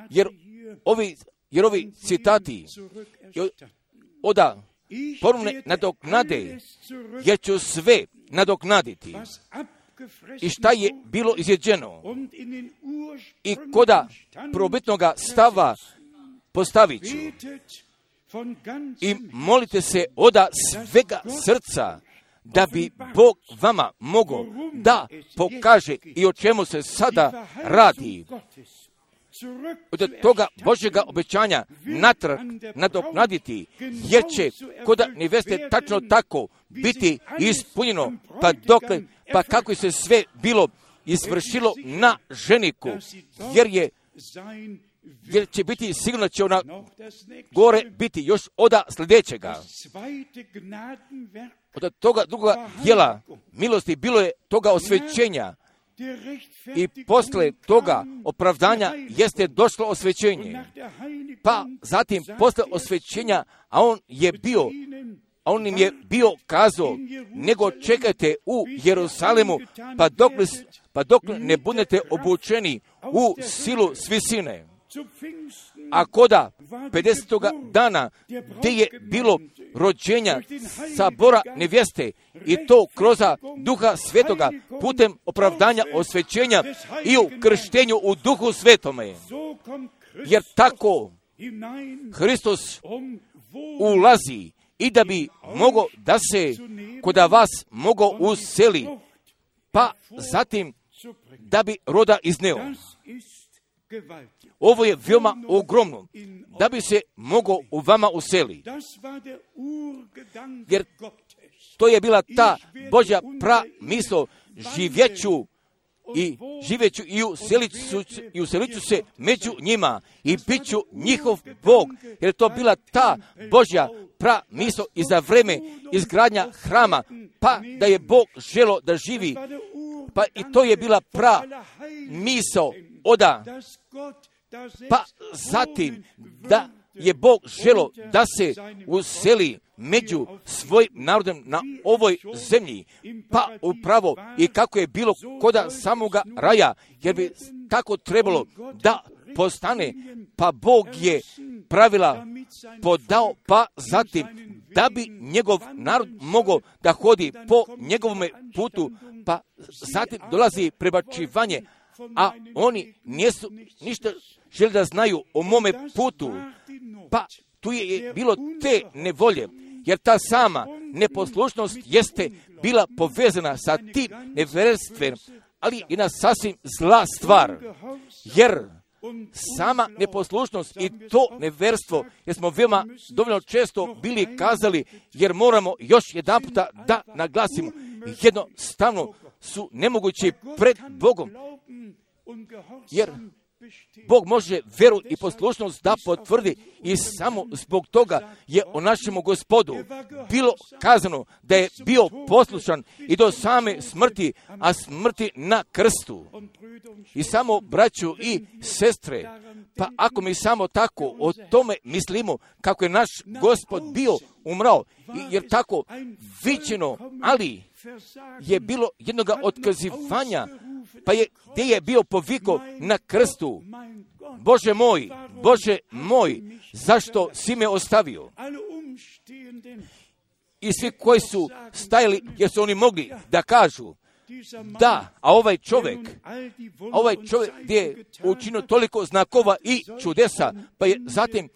Jer ovi, jer ovi citati oda ponovne nadoknade, jer ću sve nadoknaditi. I šta je bilo izjeđeno i koda probitnoga stava postavit ću. I molite se oda svega srca da bi Bog vama mogao da pokaže i o čemu se sada radi. Od toga Božjega obećanja natrag nadoknaditi, jer će koda neveste tačno tako biti ispunjeno, pa dokle, pa kako je se sve bilo izvršilo na ženiku, jer je jer će biti sigurno će ona gore biti još oda sljedećega. Od toga drugoga djela milosti bilo je toga osvećenja i posle toga opravdanja jeste došlo osvećenje. Pa zatim posle osvećenja, a on je bio a on im je bio kazao, nego čekajte u Jerusalemu, pa dokle, pa dok ne budete obučeni u silu s visine. A koda pedesetoga dana, gdje je bilo rođenja sabora nevjeste, i to kroz Duha Svetoga, putem opravdanja osvećenja i u krštenju u Duhu Svetome. Jer tako Hristos ulazi i da bi mogo da se koda vas mogo useli, pa zatim da bi roda izneo. Ovo je veoma ogromno, da bi se mogo u vama useli. Jer to je bila ta Božja pramisao, živjeću i živjeću i useliću, i useliću se među njima i bit ću njihov Bog, jer je to bila ta Božja pramisao i za vreme izgradnja hrama, pa da je Bog želo da živi, pa i to je bila pramisao oda, pa zatim da je Bog želo da se useli među svojim narodom na ovoj zemlji, pa upravo i kako je bilo koda samoga raja, jer bi tako trebalo da postane, pa Bog je pravila podao, pa zatim da bi njegov narod mogao da hodi po njegovome putu, pa zatim dolazi prebačivanje, a oni nisu ništa želi da znaju o mome putu, pa tu je bilo te nevolje, jer ta sama neposlušnost jeste bila povezana sa tim nevjerstvom, ali i na sasvim zla stvar, jer sama neposlušnost i to nevjerstvo, jer smo veoma dovoljno često bili kazali, jer moramo još jedan puta da naglasimo, jednostavno su nemogući pred Bogom, jer Bog može veru i poslušnost da potvrdi i samo zbog toga je o našemu Gospodu bilo kazano da je bio poslušan i do same smrti, a smrti na krstu. I samo braću i sestre, pa ako mi samo tako o tome mislimo kako je naš Gospod bio umrao, jer tako viđeno, ali je bilo jednoga otkazivanja, pa je gdje je bio poviko na krstu, Bože moj, Bože moj, zašto si me ostavio? I svi koji su stajali, jer su oni mogli da kažu, da, a ovaj čovjek, a ovaj čovjek gdje je učinio toliko znakova i čudesa, pa je zatim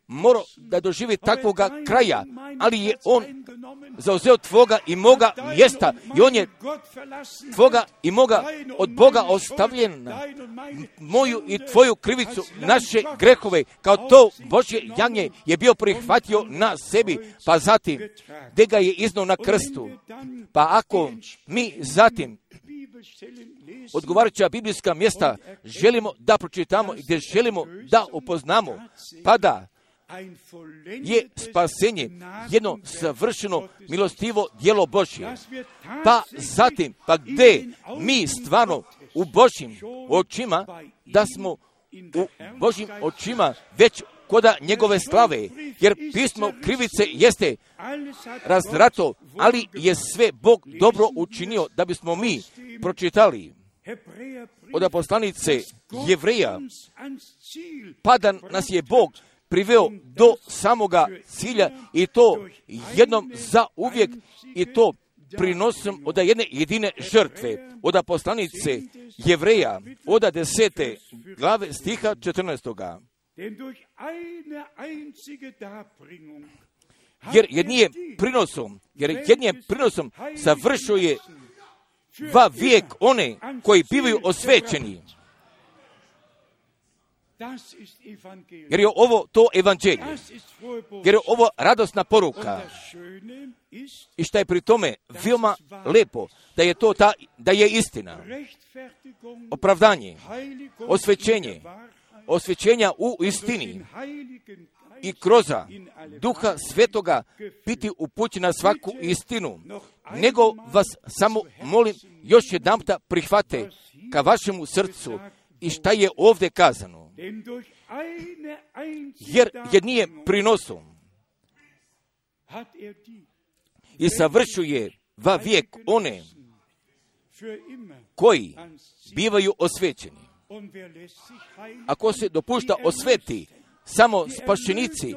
morao da doživi takvoga kraja, ali je on zauzeo tvoga i moga mjesta i on je tvoga i moga od Boga ostavljen, moju i tvoju krivicu, naše grehove, kao to Božje jagnje je bio prihvatio na sebi, pa zatim gdje ga je iznao na krstu. Pa ako mi zatim odgovarajuća biblijska mjesta želimo da pročitamo i gdje želimo da upoznamo, pa da je spasenje jedno savršeno milostivo djelo Božje. Pa zatim, pa gdje mi stvarno u Božjim očima, da smo u Božjim očima već koda njegove slave, jer pismo krivice jeste razdrato, ali je sve Bog dobro učinio da bismo mi pročitali od poslanice Jevreja, pa da nas je Bog priveo do samoga cilja i to jednom za uvijek i to prinosom od jedne jedine žrtve. Od poslanice Jevreja, od desete glave stiha četrnaestoga. Jer jednije prinosom, jer jednije prinosom savršio je va vijek one koji bivaju osvećeni. Jer je ovo to evanđelje, jer je ovo radosna poruka. I šta je pri tome veoma lepo, da je to ta, da je istina, opravdanje, osvećenje, osvećenja u istini i kroz Duha Svetoga biti upućen na svaku istinu. Nego vas samo molim još jedan puta prihvate ka vašemu srcu i šta je ovdje kazano. Jer jednije prinosom i savršuje va vijek one koji bivaju osvećeni. Ako se dopušta osveti samo spašenici,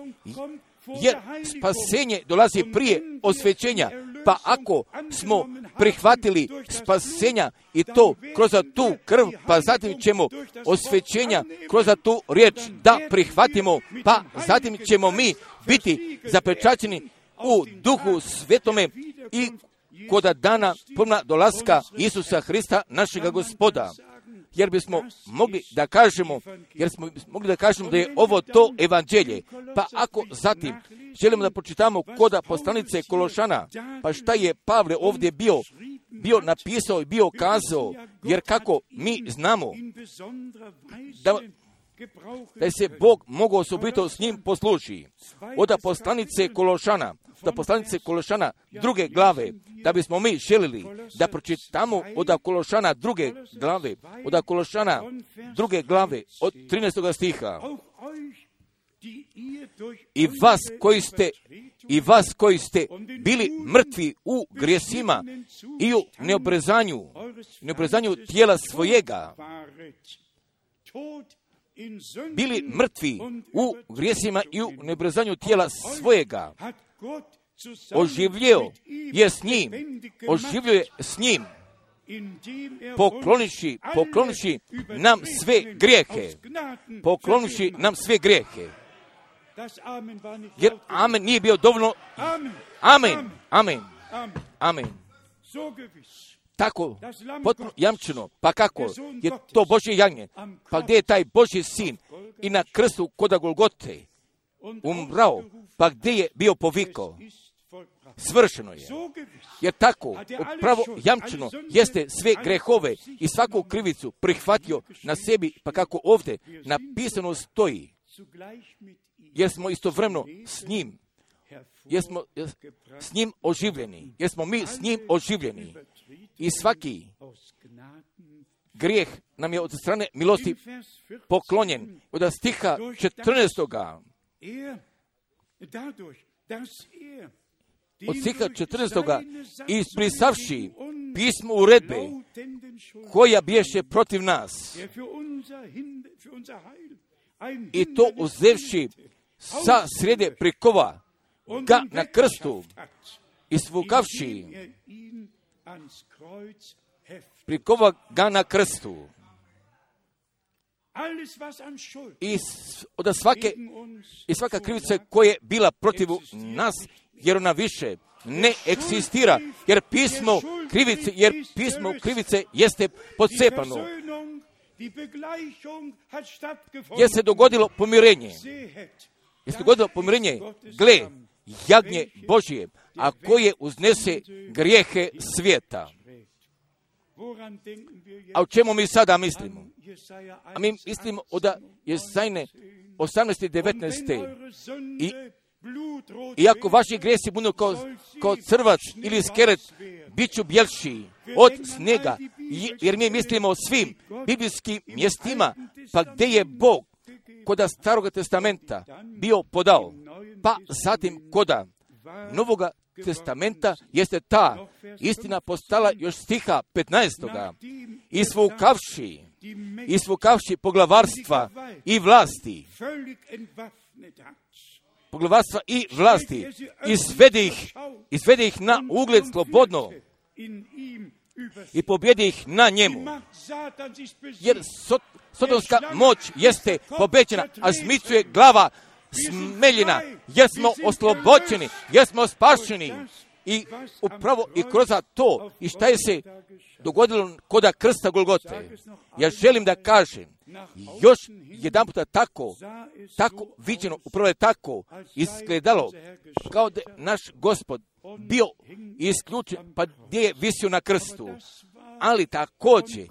jer spasenje dolazi prije osvećenja, pa ako smo prihvatili spasenja i to kroz tu krv, pa zatim ćemo osvećenja kroz tu riječ da prihvatimo, pa zatim ćemo mi biti zapečaćeni u Duhu Svetome i kod dana ponovnog dolaska Isusa Hrista, našega Gospoda. Jer bismo mogli da kažemo, jer smo mogli da kažemo da je ovo to evanđelje. Pa ako zatim želimo da pročitamo koda poslanice Kološana, pa šta je Pavle ovdje bio, bio napisao i bio kazao, jer kako mi znamo da, da se Bog mogao osobito s njim posluži. Od poslanice Kološana, da poslanice Kološana druge glave, da bismo mi želili da pročitamo od Kološana druge glave, od Kološana druge glave, od trinaestog stiha. I vas koji ste, i vas koji ste bili mrtvi u grijesima i u neobrezanju, neobrezanju tijela svojega, bili mrtvi u grijesima i u neobrezanju tijela svojega, oživljio je s njim, oživljio je s njim, pokloniši, pokloniši nam sve grijehe, pokloniši nam sve grijehe. Jer amen nije bio dovoljno. Amen, amen, amen. Tako, potpuno jamčeno. Pa kako? Je to Božje jagnje. Pa gdje je taj Božji sin i na krstu koda Golgote umrao? Pa gdje je bio povikao? Svršeno je. Jer tako, pravo jamčeno jeste sve grehove i svaku krivicu prihvatio na sebi, pa kako ovdje napisano stoji. Jer smo istovremeno s njim, jer smo s njim oživljeni, jer smo mi s njim oživljeni. I svaki grijeh nam je od strane milosti poklonjen. Od stiha četrnaestoga. Od stiha četrnaestoga isprisavši pismo uredbe koja biješe protiv nas i to uzevši sa srede prikova ga na krstu i svukavši prikova ga na krstu i od svake i svaka krivica koja je bila protiv nas, jer ona više ne eksistira, jer pismo krivice, jer pismo krivice jeste pocepano. Jer se dogodilo pomirenje. Jer se dogodilo pomirenje, gle, jagnje Božije, a koje uznese grijehe svijeta. A o čemu mi sada mislimo? A mi mislimo od Jesajne osamnaeste i devetnaeste. I iako vaši grijesi budu kao, kao crvac ili skeret, bit ću bjelši od snega, jer mi mislimo o svim biblijskim mjestima, pa gdje je Bog koda Staroga testamenta bio podao, pa zatim koda Novoga testamenta jeste ta istina postala još stiha petnaestoga. Isvukavši, isvukavši poglavarstva i vlasti, poglavarstva i vlasti, izvede ih, izvede ih na ugled slobodno i pobjedi ih na njemu. Jer sot, sotonska moć jeste pobećena, a zmicu je glava smeljena, jer smo oslobođeni, jer smo spašeni. I upravo i kroz to, i šta je se dogodilo koda krsta Golgote. Ja želim da kažem, još jedan puta tako, tako viđeno, upravo je tako izgledalo, kao da naš Gospod bio isključen, pa gdje je visio na krstu. Ali također,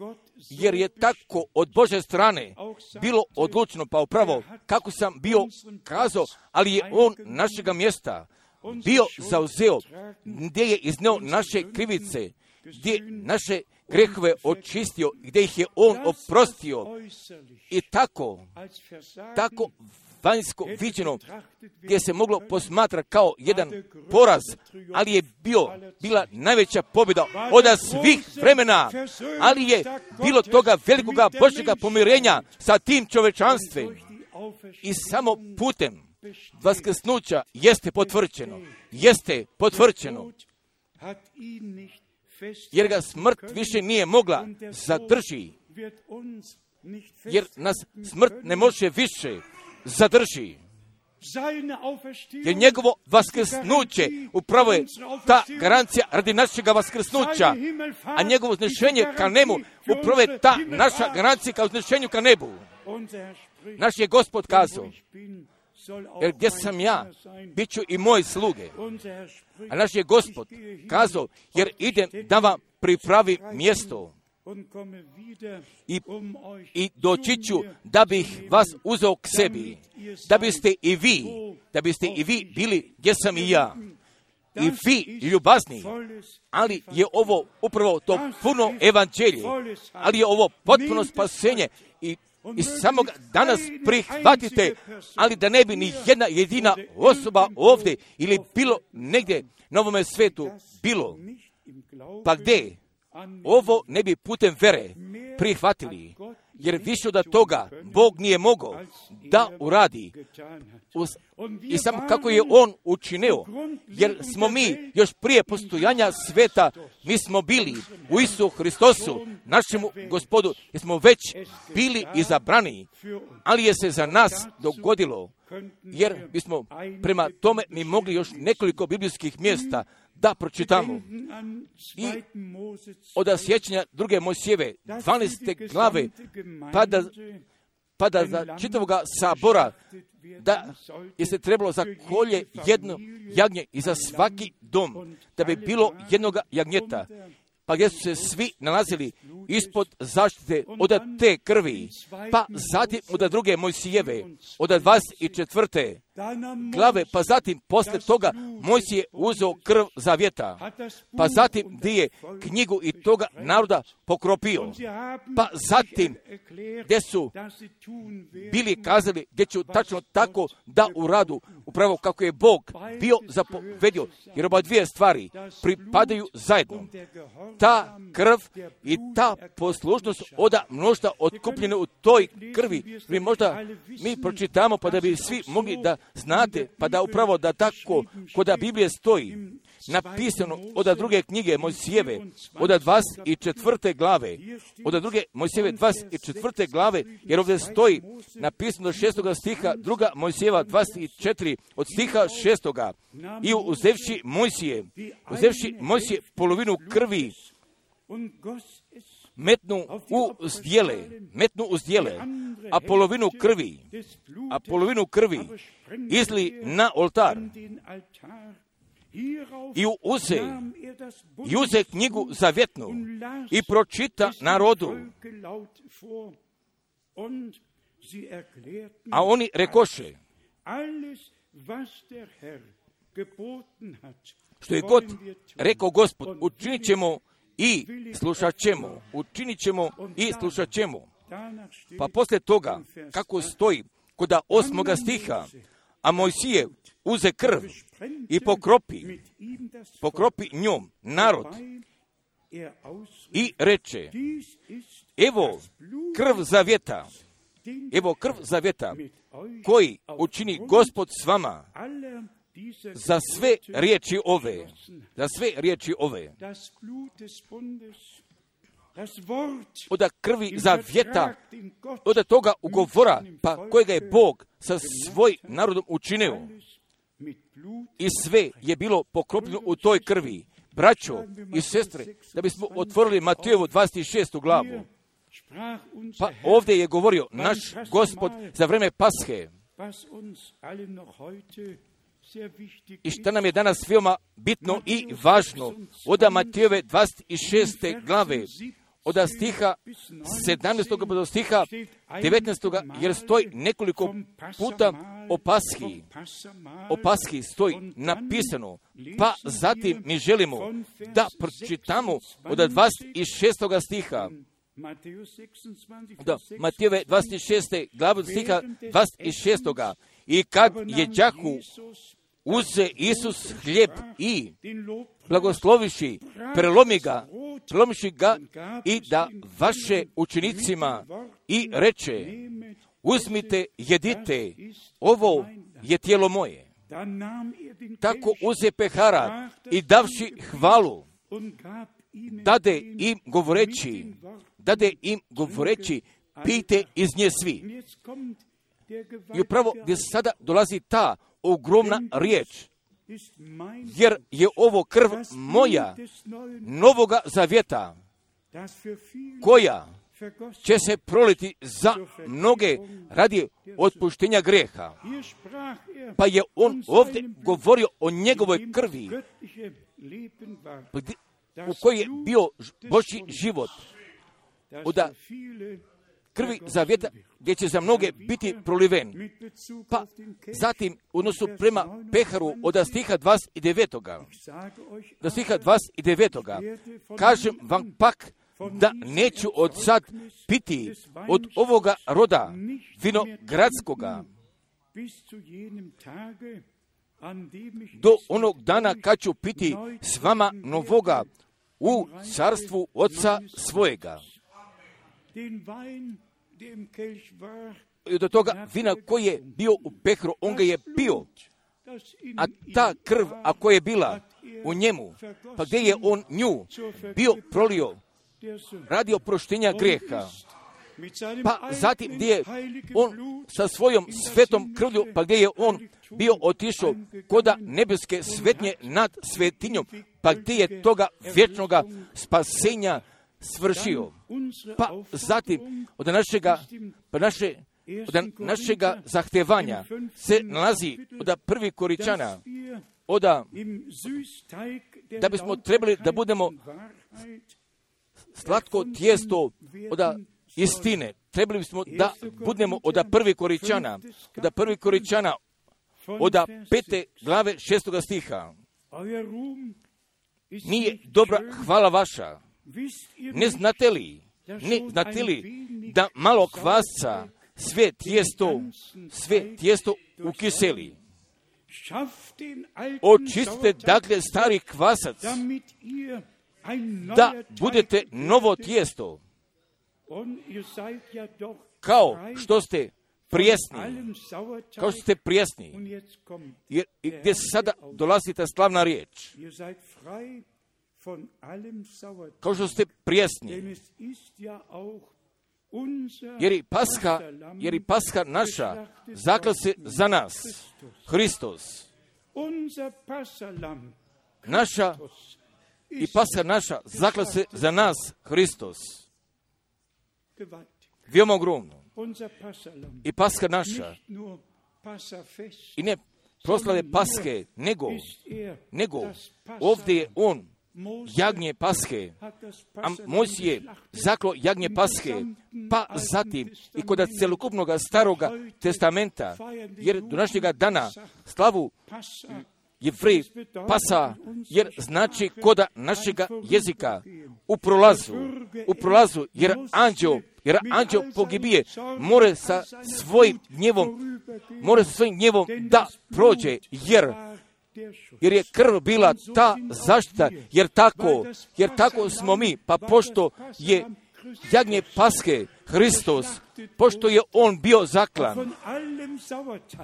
jer je tako od Božje strane bilo odlučeno, pa upravo kako sam bio kazao, ali je on našega mjesta bio zauzeo, gdje je izneo naše krivice, gdje naše grehove očistio, gdje ih je on oprostio. I tako, tako vanjsko viđeno, gdje se moglo posmatrati kao jedan poraz, ali je bio, bila najveća pobjeda od svih vremena, ali je bilo toga velikoga Božjega pomirenja sa tim čovečanstvom i samo putem vaskrsnuća jeste potvrđeno, jeste potvrđeno, jer ga smrt više nije mogla zadrži, jer nas smrt ne može više zadrži. Jer njegovo vaskrsnuće upravo je ta garancija radi našega vaskrsnuća, a njegovo uznešenje ka nebu upravo je ta naša garancija ka uznešenju ka nebu. Naš je Gospod kazao, jer gdje sam ja, bit ću i moji sluge. A naš je Gospod kazao, jer idem da vam pripravi mjesto. I, i doći ću da bih vas uzeo k sebi, da biste i vi, da biste i vi bili gdje sam i ja. I vi ljubazni, ali je ovo upravo to puno evanđelje, ali je ovo potpuno spasenje i I samo ga danas prihvatite, ali da ne bi ni jedna jedina osoba ovdje ili bilo negdje na ovome svetu bilo. Pa gdje? Ovo ne bi putem vere prihvatili, jer više od toga Bog nije mogao da uradi. I samo kako je On učinio, jer smo mi još prije postojanja sveta, mi smo bili u Isusu Hristosu, našemu Gospodu, jer smo već bili izabrani, ali je se za nas dogodilo, jer bismo prema tome mi mogli još nekoliko biblijskih mjesta da pročitamo. I od sjećanja druge Mojsijeve, dvanaeste glave, pa da, pa da za čitavoga sabora, da je se trebalo za kolje jedno jagnje i za svaki dom, da bi bilo jednoga jagnjeta, pa gdje su se svi nalazili ispod zaštite od te krvi, pa zatim od druge Mojsijeve, od dvadeset četvrte glave, pa zatim posle toga Mojsije uzeo krv zavjeta, pa zatim gdje je knjigu i toga naroda pokropio, pa zatim gdje su bili kazali gdje ću tačno tako da uradu, upravo kako je Bog bio zapovedio, jer oba dvije stvari pripadaju zajedno. Ta krv i ta poslušnost oda mnošta otkupljene u toj krvi, mi možda mi pročitamo pa da bi svi mogli da znate, pa da upravo da tako kod Biblije stoji napisano od druge knjige Mojsijeve, od dvadeset četvrte glave, od druge Mojsijeve dvadeset četvrte glave, jer ovdje stoji napisano do šestoga stiha, druga Mojsijeva dvadeset četiri od stiha šestoga. I uzevši Mojsije, uzevši Mojsije polovinu krvi, metnu u zdjele, metnu u zdjele, a polovinu krvi, a polovinu krvi izli na oltar. I uze, i uze knjigu zavjetnu i pročita narodu. A oni rekoše, što je god rekao Gospod, učinit ćemo i slušat ćemo, učinit ćemo i slušat ćemo. Pa poslije toga, kako stoji kod osmoga stiha, a Mojsije uze krv i pokropi, pokropi njom narod i reče, evo krv zavjeta, evo krv zavjeta koji učini Gospod s vama za sve riječi ove, za sve riječi ove. Od krvi zavjeta, od toga ugovora, pa kojega je Bog sa svoj narodom učinio. I sve je bilo pokropljeno u toj krvi. Braćo i sestre, da bismo otvorili Matejevu dvadeset šestu glavu. Pa ovdje je govorio naš Gospod za vreme Pashe. I što nam je danas veoma bitno i važno, od Matejeve dvadeset šeste glave, od stiha sedamnaestog do stiha devetnaestog, jer stoji nekoliko puta o Pashi. O Pashi stoji napisano, pa zatim mi želimo da pročitamo od dvadeset šestog stiha. Da, Matijeve dvadeset šeste glavu stiha dvadeset šest. I kad je đaku uze Isus hljeb i blagosloviši, prelomi ga, prelomiši ga i da vaše učenicima i reče, uzmite, jedite, ovo je tijelo moje. Tako uze pehara i davši hvalu, dade im govoreći, dade im govoreći, pijte iz nje svi. I upravo gdje sada dolazi ta ogromna riječ, jer je ovo krv moja novoga zavjeta, koja će se proliti za mnoge radi otpuštenja grijeha. Pa je on ovdje govorio o njegovoj krvi, u kojoj je bio Božji život, od krvi zavjeta gdje će za mnoge biti proliven. Pa zatim, u odnosu prema peharu od stiha dvadeset devet. Do stiha dvadeset devet. Kažem vam pak da neću od sad piti od ovoga roda vinogradskoga do onog dana kad ću piti s vama novoga u carstvu Oca svojega. I do toga vina koji je bio u pehru, on ga je pio. A ta krv, ako je bila u njemu, pa gdje je on nju bio prolio radi oproštenja grijeha, pa zatim gdje je on sa svojom svetom krvlju, pa gdje je on bio otišao koda nebeske svetnje nad svetinjom, pa gdje je toga vječnoga spasenja svršio. Pa zatim od našega, pa naše, od našega zahtevanja se nalazi od prvi Koričana, od da bismo trebali da budemo slatko tijesto od istine. Trebali bismo da budemo od prvi Koričana, od prvi Koričana, od pete glave šestoga stiha. Nije dobra hvala vaša. Ne znate li, ne znate li da malo kvasca sve tijesto, sve tijesto ukiseli? Očistite dakle stari kvasac, da budete novo tijesto, kao što ste prijesni, kao što ste prijesni. Jer gdje sada dolazi ta slavna riječ, kao što ste prijesni, jer i Pasha, jer i Pasha naša zakla se za nas, Hristos. Naša i Pasha naša zakla se za nas, Hristos. Veoma ogromno. I Pasha naša, i ne proslave Paske, nego, nego ovdje je on jagnje Pashe, a Mojsije zaklo jagnje Pashe, pa zatim i kod celokupnog staroga testamenta, jer do našega dana slavu Jevrej Pasa, jer znači koda našega jezika u prolazu, u prolazu, jer anđeo, jer anđeo pogibije, more sa svojim gnjevom, more sa svojim gnjevom da prođe, jer jer je krv bila ta zaštita, jer tako, jer tako smo mi, pa pošto je jagnje Pashe Hristos, pošto je on bio zaklan,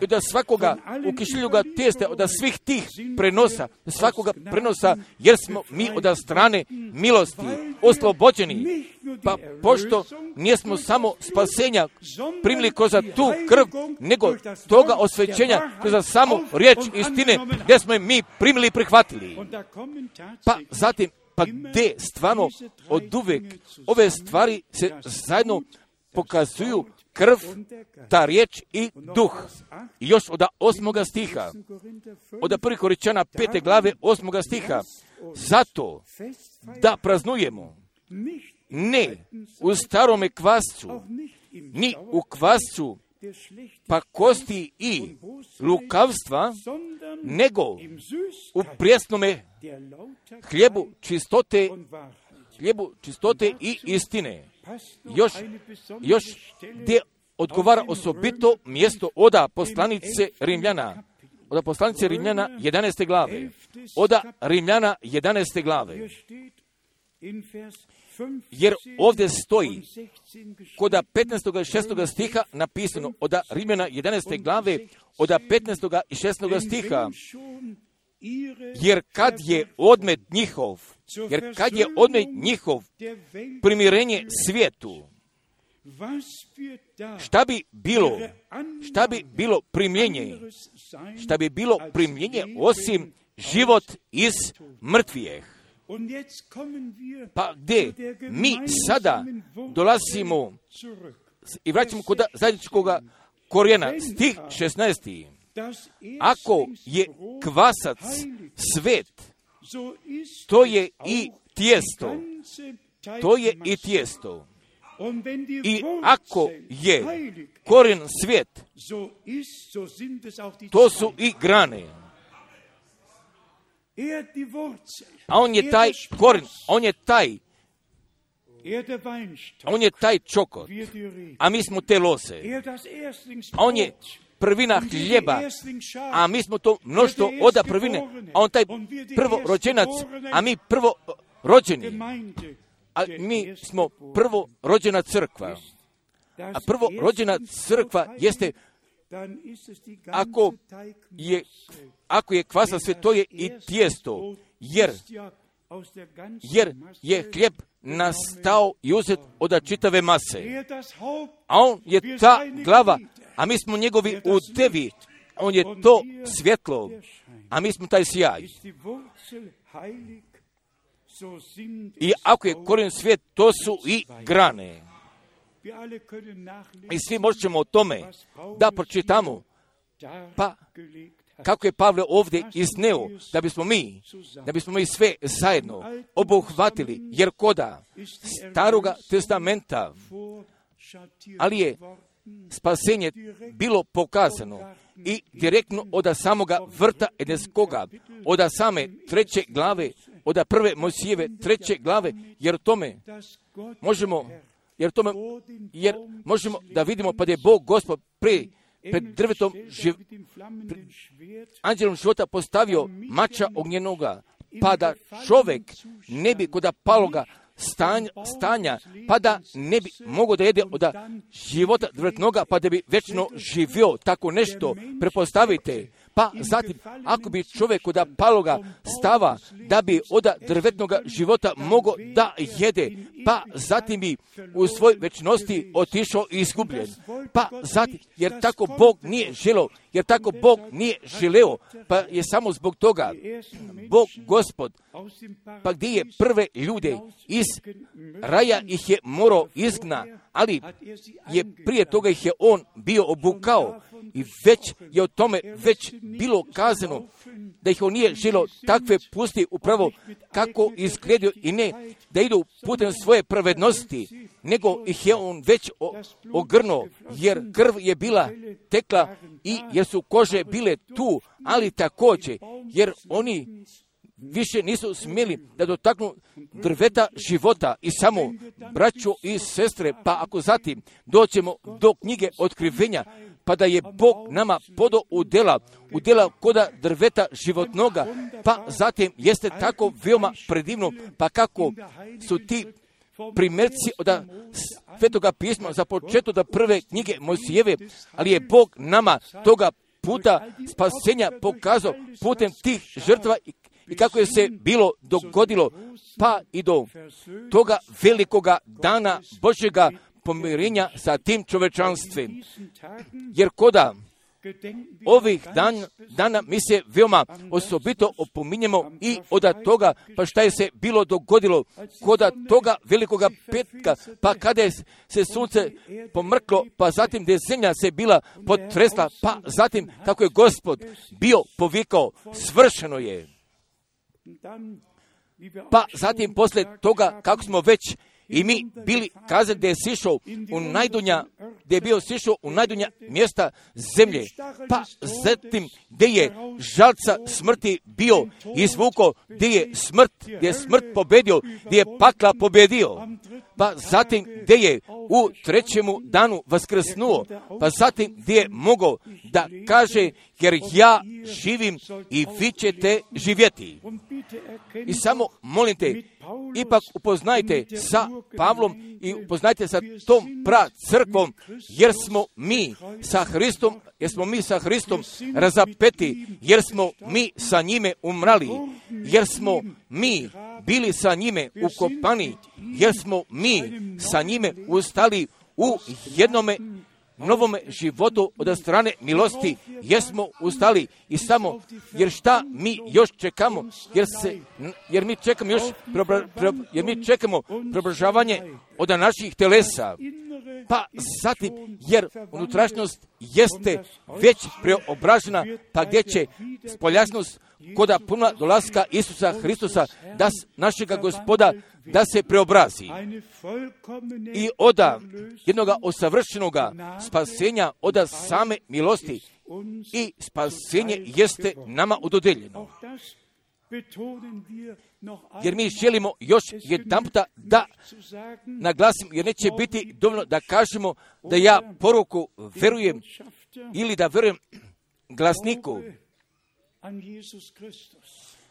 i da svakoga ukišljuga tijesta od svih tih prenosa, svakoga prenosa, jer smo mi od strane milosti oslobođeni, pa pošto nijesmo samo spasenja primili kroz tu krv, nego toga osvećenja kroz samo riječ istine, gdje smo je mi primili i prihvatili. Pa zatim, pa gdje stvarno od uvek ove stvari se zajedno pokazuju krv, ta riječ i duh. I još od osmoga stiha, od prvi Koričana pete glave osmoga stiha, zato da praznujemo ne u starome kvascu, ni u kvascu pa kosti i lukavstva, nego u prijesnome hljebu čistote hljebu čistote i istine. Još, još gdje odgovara osobito mjesto oda poslanice Rimljana. Oda poslanice Rimljana jedanaeste glave. Oda Rimljana jedanaeste glave. Jer ovdje stoji koda petnaestog i šestog stiha napisano, oda Rimljana jedanaeste glave, oda petnaestog i šestog stiha, jer kad je odmet njihov, jer kad je odmet njihov primirenje svijetu, šta bi bilo, šta bi bilo primljenje, šta bi bilo primljenje osim život iz mrtvijeh. Pa gdje mi sada dolazimo i vraćamo kod zajedničkog korijena, stih šesnaesti. Ako je kvasac svet, to je i tijesto, to je i tijesto. I ako je korijen svijet, to su i grane. A on je taj korijen, on je taj, on je taj čokot, a mi smo te lose. A on je prvina hljeba, a mi smo to mnoštvo oda prvine, a on taj prvo rođenac, a mi prvo rođeni. A mi smo prvo rođena crkva. A prvo rođena crkva jeste, ako je, ako je kvasa sve, to je i tijesto, jer, jer je hljeb nastao i uzet od čitave mase. A on je ta glava, a mi smo njegovi udevi. On je to svjetlo, a mi smo taj sjaj. I ako je korijen svijet, to su i grane. I svi možemo o tome da pročitamo, pa kako je Pavle ovdje izneo, da bismo mi, da bismo mi sve zajedno obuhvatili, jer koda Staroga testamenta, ali je spasenje bilo pokazano i direktno od samoga vrta Edenskoga, od same treće glave, od prve Mojsijeve treće glave, jer tome možemo, jer tome, jer možemo da vidimo pa da je Bog Gospod pre, pred drvetom živ, pre, anđelom života postavio mača ognjenoga, pa da čovjek ne bi kod paloga stanja, stanja, pa da ne bi mogao da jede od života drvetnoga, pa da bi večno živio. Tako nešto prepostavite. Pa zatim, ako bi čovjek od paloga stava da bi od drvetnoga života mogao da jede, pa zatim bi u svoj večnosti otišao i izgubljen. Pa zatim, jer tako Bog nije želeo, jer tako Bog nije želeo, pa je samo zbog toga Bog Gospod, pa gdje je prve ljude iz raja ih je morao izgna, ali je prije toga ih je on bio obukao i već je o tome već bilo kazano da ih on nije želio takve pusti upravo kako izgledio i ne da idu putem svoje pravednosti, nego ih je on već ogrnuo, jer krv je bila tekla i jer su kože bile tu, ali također jer oni više nisu smjeli da dotaknu drveta života i samo braćo i sestre, pa ako zatim doćemo do knjige Otkrivenja, pa da je Bog nama podao u dela, u dela koda drveta životnoga, pa zatim jeste tako veoma predivno, pa kako su ti primjerci od Svetoga pisma za početak da prve knjige Mojsijeve, ali je Bog nama toga puta spasenja pokazao putem tih žrtva i kako je se bilo dogodilo, pa i do toga velikoga dana Božjega pomirenja sa tim čovečanstvom. Jer koda ovih dan, dana mi se veoma osobito opominjemo i od toga, pa šta je se bilo dogodilo koda toga velikoga petka, pa kada je se sunce pomrklo, pa zatim da je zemlja se bila potresla, pa zatim kako je Gospod bio povikao, svršeno je. Pa zatim posle toga, kako smo već i mi bili kazali da je sišao u najdunja, da je bio sišao u najdunja mjesta zemlje, pa zatim gdje je žalca smrti bio izvuko, gdje je smrt, gdje je smrt pobedio, gdje je pakla pobedio, pa zatim gdje je u trećemu danu vaskrsnuo, pa zatim gdje je mogao da kaže, jer ja živim i vi ćete živjeti. I samo molim te, ipak upoznajte sa Pavlom i upoznajte sa tom pra crkvom, jer smo mi sa Hristom, jer smo mi sa Hristom razapeti, jer smo mi sa njime umrali, jer smo mi bili sa njime ukopani, jer smo mi sa njime ustali u jednome novome životu od strane milosti, jer smo ustali i samo, jer šta mi još čekamo, jer se, jer mi čekamo još, preobra, pre, jer mi čekamo preobražavanje od naših telesa, pa zatim, jer unutrašnjost jeste već preobražena, pa gdje će spoljašnost koda puna dolaska Isusa Hristusa, da našega Gospoda, da se preobrazi i oda jednoga osavršenoga spasenja, oda same milosti, i spasenje jeste nama udodeljeno. Jer mi želimo još jedan puta da naglasim, jer neće biti dovoljno da kažemo da ja poruku verujem ili da verujem glasniku.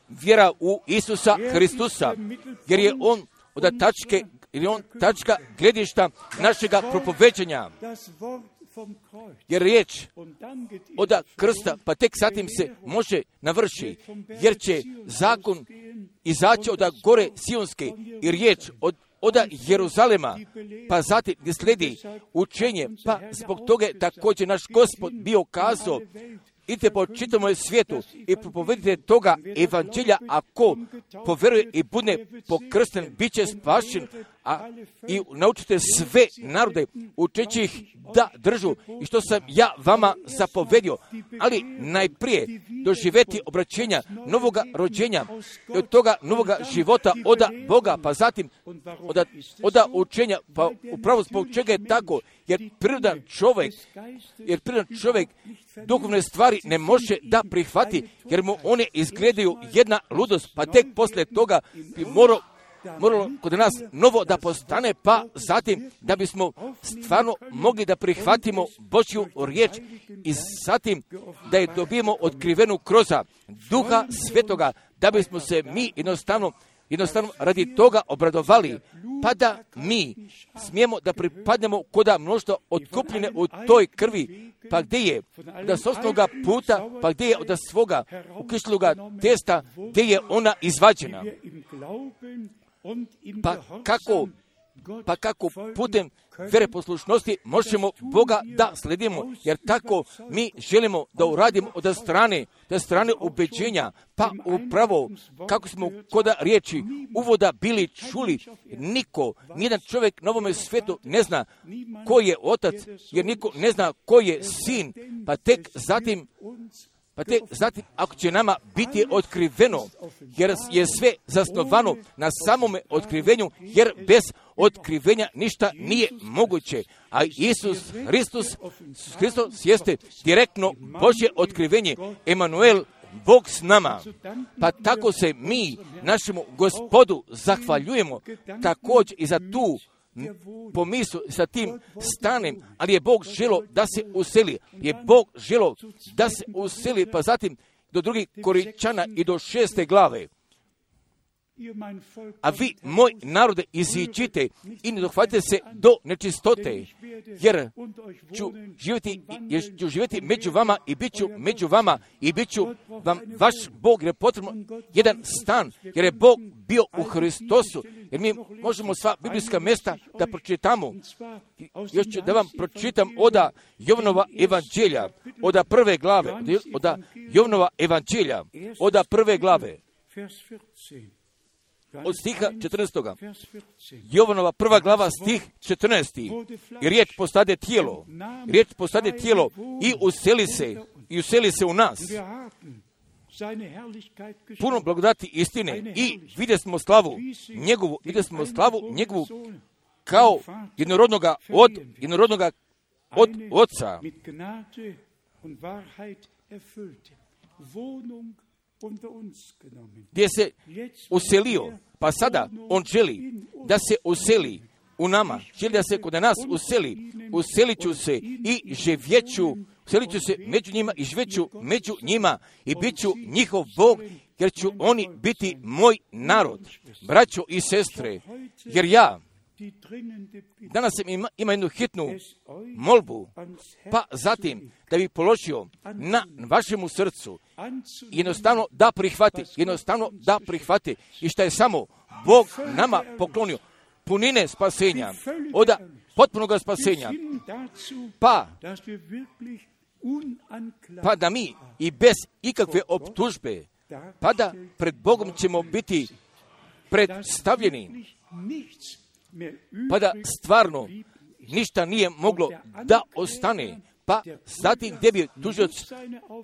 Vjera u Isusa Hristusa, jer je on od tačke, jer je on tačka gledišta našega propoveđanja. Jer riječ od krsta, pa tek zatim se može navrši, jer će zakon izaći od gore Sionske i riječ od od Jeruzalema, pa zatim gdje slijedi učenje, pa zbog toga također naš Gospod bio kazao, idite po čitavom svijetu i propovedite toga evanđelja, ako poveruje i bude pokrsten, bit će spašen, a i naučite sve narode, učeći ih da držu i što sam ja vama zapovedio, ali najprije doživjeti obraćenja novoga rođenja i od toga novoga života oda Boga, pa zatim oda, oda učenja, pa upravo zbog čega je tako, jer prirodan čovjek, jer prirodan čovjek duhovne stvari ne može da prihvati, jer mu one izgledaju jedna ludost, pa tek poslije toga bi morao moralo kod nas novo da postane, pa zatim da bismo stvarno mogli da prihvatimo Božju riječ i zatim da je dobijemo otkrivenu kroz Duha Svetoga, da bismo se mi jednostavno jednostavno radi toga obradovali, pa da mi smijemo da pripadnemo koda mnoštva otkupljene u toj krvi, pa gdje je da s osnovnoga puta, pa gdje je od svoga ukišloga testa, gdje je ona izvađena. Pa kako, pa kako putem vere poslušnosti možemo Boga da sledimo, jer tako mi želimo da uradimo od strane, od strane ubeđenja, pa upravo kako smo koda riječi uvoda bili čuli, niko, nijedan čovjek na ovome svijetu ne zna ko je otac, jer niko ne zna ko je sin, pa tek zatim Pa te, zatim, ako će nama biti otkriveno, jer je sve zasnovano na samome otkrivenju, jer bez otkrivenja ništa nije moguće. A Isus Hristos, Hristos jeste direktno Božje otkrivenje, Emanuel, Bog s nama. Pa tako se mi našemu Gospodu zahvaljujemo također i za tu pomislu sa tim stanem, ali je Bog želo da se useli, je Bog želo da se useli, pa zatim do drugih Korinčana i do šeste glave. A vi, moj narode, iziđite i ne dohvatite se do nečistote, jer ću živjeti, jer ću živjeti među vama i bit ću među vama i bit ću vam vaš Bog, jer je potrebno jedan stan, jer je Bog bio u Hristosu, jer mi možemo sva biblijska mjesta da pročitamo. Još ću da vam pročitam oda Jovanova evanđelja, oda prve glave, oda Jovanova evanđelja, oda prve glave. Od stiha četrnaestog. Jovanova prva glava, stih četrnaesti. I riječ postade tijelo. Riječ postade tijelo i useli se, i useli se u nas. Puno blagodati istine i vidjeli smo slavu njegovu, vidjeli smo slavu njegovu kao jednorodnoga od jednorodnoga od Oca. mit Gnade und Wahrheit erfüllte Wohnung unter uns genommen. Gdje se uselio, pa sada on želi da se useli u nama, želi da se kod nas useli, uselit ću se i živjeću, uselit ću se među njima i živjeću među njima i bit ću njihov Bog, jer ću oni biti moj narod, braćo i sestre, jer ja danas ima, ima jednu hitnu molbu, pa zatim da bi položio na vašemu srcu, jednostavno da prihvati, jednostavno da prihvati i što je samo Bog nama poklonio, punine spasenja, od potpunog spasenja, pa, pa da mi i bez ikakve optužbe, pa da pred Bogom ćemo biti predstavljeni, pa da stvarno ništa nije moglo da ostane, pa zatim gdje bi tužilac,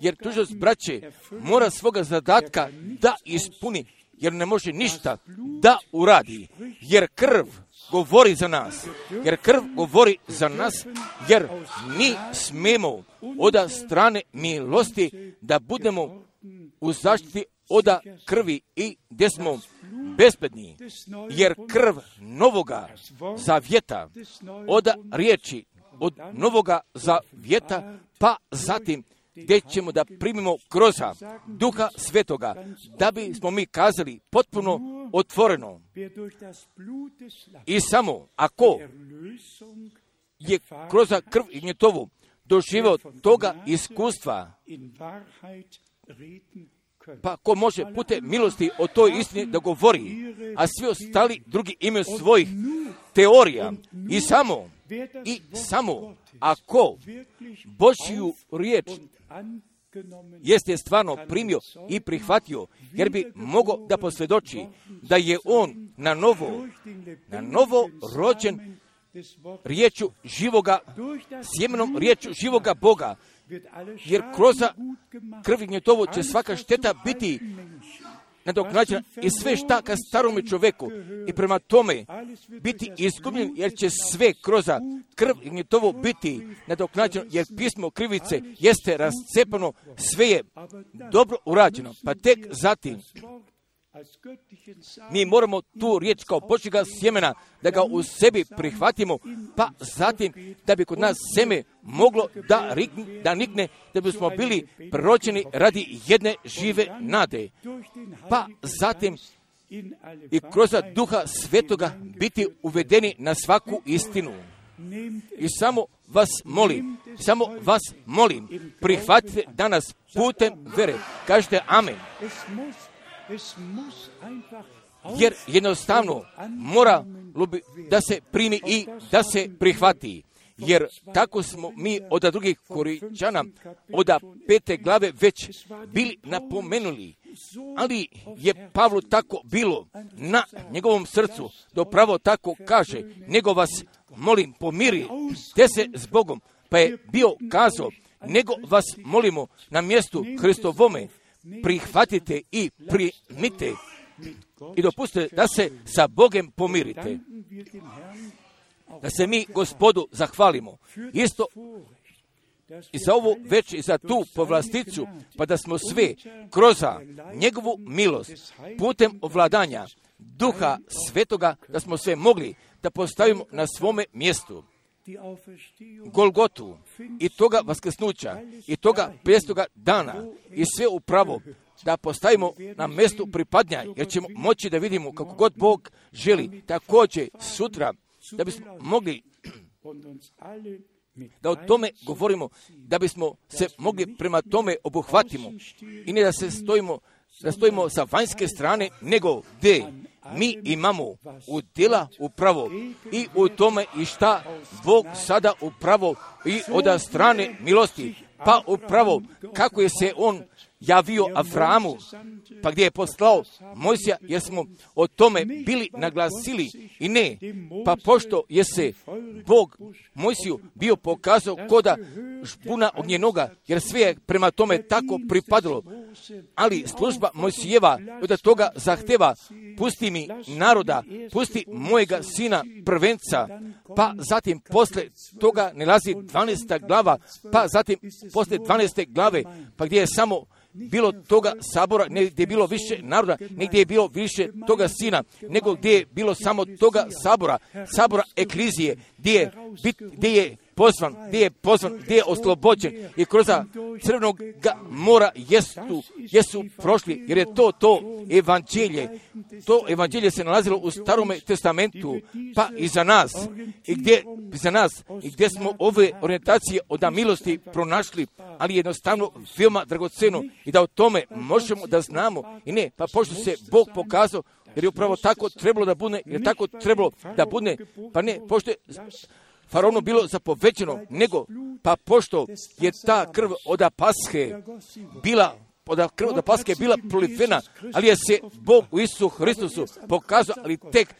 jer tužilac, braće, mora svoga zadatka da ispuni, jer ne može ništa da uradi, jer krv govori za nas, jer krv govori za nas, jer mi smemo od strane milosti da budemo u zaštiti od krvi i gdje smo bezbedni, jer krv novoga zavjeta, od riječi, od novoga zavjeta, pa zatim gdje ćemo da primimo kroz Duha Svetoga, da bismo mi kazali potpuno otvoreno. I samo ako je kroz krv i njetovu doživio toga iskustva, pa ko može putem milosti o toj istini da govori, a svi ostali drugi imaju svojih teorija. I samo, i samo ako Božju riječ jeste stvarno primio i prihvatio, jer bi mogao da posvjedoči da je on na novo, na novo rođen riječu živoga, sjemenom riječu živoga Boga, jer kroz krv i njetovu će svaka šteta biti nadoknađena i sve šta ka starome čoveku i prema tome biti izgubljen, jer će sve kroz krv i njetovu biti nadoknađeno, jer pismo krivice jeste rascepano, sve je dobro urađeno, pa tek zatim mi moramo tu riječ kao Božjega sjemena da ga u sebi prihvatimo, pa zatim da bi kod nas seme moglo da, rikne, da nikne, da bismo bili proročeni radi jedne žive nade, pa zatim i kroz Duha Svetoga biti uvedeni na svaku istinu. I samo vas molim, samo vas molim, prihvatite danas putem vere. Kažete amen. Jer jednostavno mora da se primi i da se prihvati. Jer tako smo mi od drugih Korinčana, od pete glave već bili napomenuli. Ali je Pavlu tako bilo na njegovom srcu, da pravo tako kaže, nego vas molim pomiri, te se s Bogom, pa je bio kazao, nego vas molimo na mjestu Hristovome, prihvatite i primite i dopustite da se sa Bogom pomirite. Da se mi Gospodu zahvalimo. Isto i za ovu već i za tu povlasticu, pa da smo sve kroz njegovu milost putem ovladanja Duha Svetoga, da smo sve mogli da postavimo na svome mjestu. Golgotu i toga vaskrsnuća i toga pedestoga dana i sve upravo da postavimo na mjestu pripadnja, jer ćemo moći da vidimo kako god Bog želi. Također sutra da bismo mogli da o tome govorimo, da bismo se mogli prema tome obuhvatimo i ne da se stojimo, da stojimo sa vanjske strane, nego gdje mi imamo udjela upravo i u tome i šta Bog sada upravo i od strane milosti, pa upravo kako je se on javio Avramu, pa gdje je poslao Mojsija, jer smo o tome bili naglasili i ne, pa pošto je se Bog Mojsiju bio pokazao koda žbuna ognjenoga, jer sve je prema tome tako pripadalo. Ali služba Mojsijeva od toga zahteva, pusti mi naroda, pusti mojega sina prvenca, pa zatim posle toga nalazi dvanaesta glava, pa zatim posle dvanaeste glave, pa gdje je samo bilo toga sabora, ne gdje je bilo više naroda, ne gdje je bilo više toga sina, nego gdje je bilo samo toga sabora, sabora eklizije, gdje je, bit, gdje je pozvan, gdje je pozvan, gdje je oslobođen i kroz crvenog mora jesu, jesu prošli, jer je to to evanđelje. To evanđelje se nalazilo u Starome testamentu, pa i za nas, i gdje, za nas, i gdje smo ove orijentacije od milosti pronašli, ali jednostavno veoma dragoceno i da o tome možemo da znamo i ne, pa pošto se Bog pokazao, jer je upravo tako trebalo da bude, jer je tako trebalo da bude, pa ne, pošto je Faraonu bilo zapovećeno, nego, pa pošto je ta krv od Pashe bila, od krv od Pashe bila prolivena, ali je se Bog u Isusu Hristusu pokazao, ali tek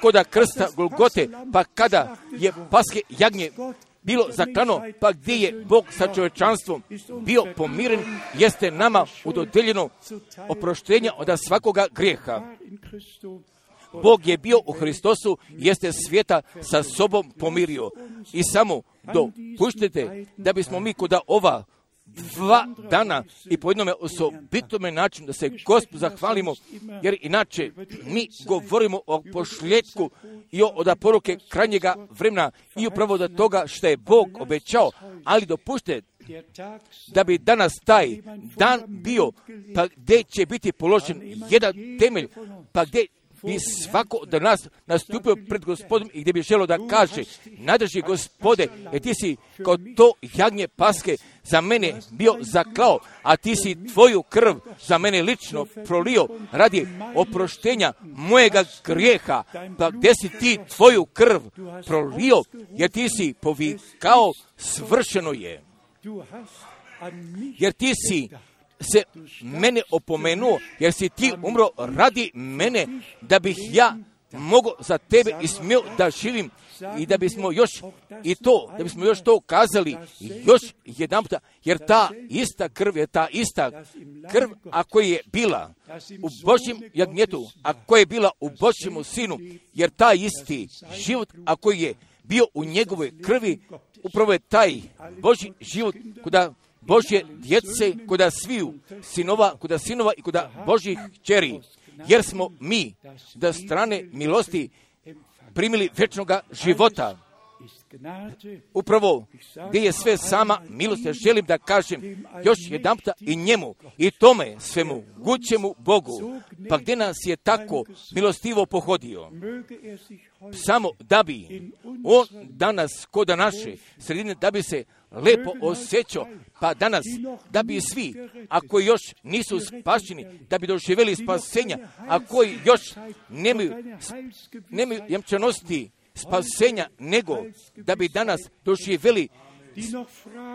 koda krsta Golgote, pa kada je Pashe jagnje bilo zaklano, pa gdje je Bog sa čovječanstvom bio pomiren, jeste nama udodeljeno oproštenja od svakoga grijeha. Bog je bio u Hristosu, jeste svijeta sa sobom pomirio. I samo dopuštite da bismo mi kod ova dva dana i po jednome osobitome načinu da se Gospodu zahvalimo, jer inače mi govorimo o pošljetku i o od poruke krajnjega vremena i upravo do toga što je Bog obećao, ali dopuštite da bi danas taj dan bio, pa gdje će biti položen jedan temelj, pa gdje bi svako od nas nastupio pred Gospodom i gdje bi želio da kaže, nadrži Gospode, jer ti si kao to jagnje Pashe za mene bio zaklao, a ti si tvoju krv za mene lično prolio radi oproštenja mojega grijeha, pa gdje si ti tvoju krv prolio, jer ti si povikao, svršeno je. Jer ti si se mene opomenuo, jer si ti umro radi mene, da bih ja mogao za tebe i smio da živim i da bismo još i to, da bismo još to kazali još jedan puta, jer ta ista krv je ta ista krv, ako je bila u Božjem jagnjetu, ako je bila u Božjemu sinu, jer taj isti život, ako je bio u njegovoj krvi, upravo je taj Božji život kuda Božje djece, kuda sviju sinova, kuda sinova i kuda Božjih kćeri, jer smo mi da strane milosti primili vječnoga života. Upravo gdje je sve sama milost, ja želim da kažem još jedan puta i njemu i tome svemu gućemu Bogu, pa gdje nas je tako milostivo pohodio, samo da bi on danas kod naše sredine, da bi se lepo osjećao, pa danas da bi svi, ako još nisu spašeni, da bi doživjeli spasenja, a koji još nemaju, nemaju jamčanosti spasenja, nego da bi danas doživjeli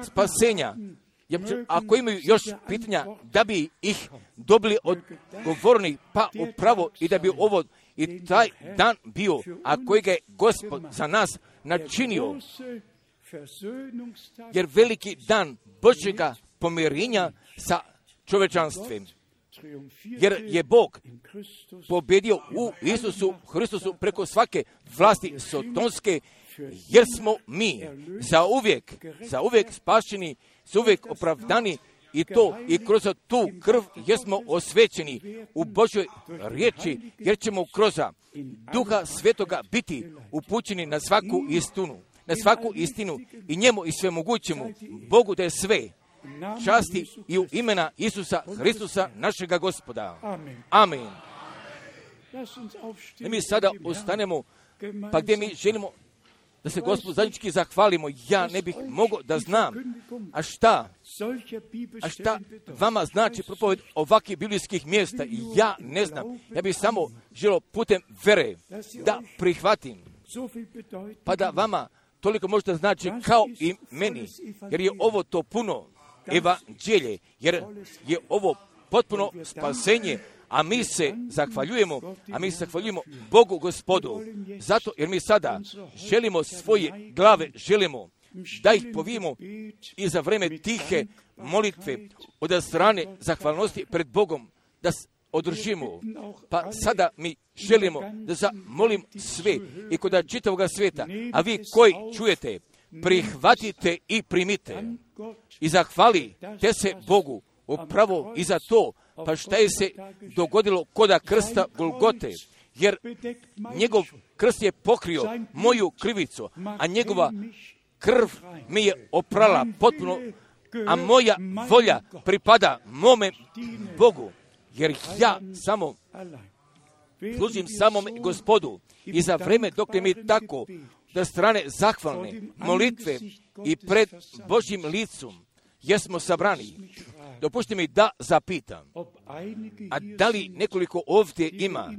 spasenja. Ako imaju još pitanja, da bi ih dobili odgovorni, pa upravo i da bi ovo i taj dan bio, a kojega je Gospod za nas načinio, jer veliki dan Božjega pomirenja sa čovječanstvom. Jer je Bog pobjedio u Isusu Hristusu preko svake vlasti sotonske, jer smo mi za uvijek, za uvijek spašeni, za uvijek opravdani i to i kroz tu krv jesmo osvećeni u Božjoj riječi, jer ćemo kroz Duha Svetoga biti upućeni na svaku istinu, na svaku istinu i njemu i svemogućemu Bogu da je sve časti i u imena Isusa Hristusa našega Gospoda. Amen. I mi sada ustanemo, pa gdje mi želimo da se Gospodu zajednički zahvalimo. Ja ne bih mogao da znam, a šta, a šta vama znači propoved ovakvih biblijskih mjesta. Ja ne znam. Ja bih samo želio putem vere da prihvatim, pa da vama toliko možda znači kao i meni, jer je ovo to puno evanđelje, jer je ovo potpuno spasenje, A mi se zahvaljujemo, a mi se zahvaljujemo Bogu Gospodu, zato jer mi sada želimo svoje glave, želimo da ih povijemo i za vreme tihe molitve od strane zahvalnosti pred Bogom da održimo. Pa sada mi želimo da zamolim sve i kod čitavoga svijeta, a vi koji čujete, prihvatite i primite i zahvalite se Bogu upravo i za to, pa šta je se dogodilo koda krsta Golgote, jer njegov krst je pokrio moju krivicu, a njegova krv mi je oprala potpuno, a moja volja pripada mome Bogu, jer ja samo služim samom Gospodu i za vreme dok mi tako da strane zahvalne molitve i pred Božjim licom jesmo sabrani. Dopustite mi da zapitam, a da li nekoliko ovdje ima,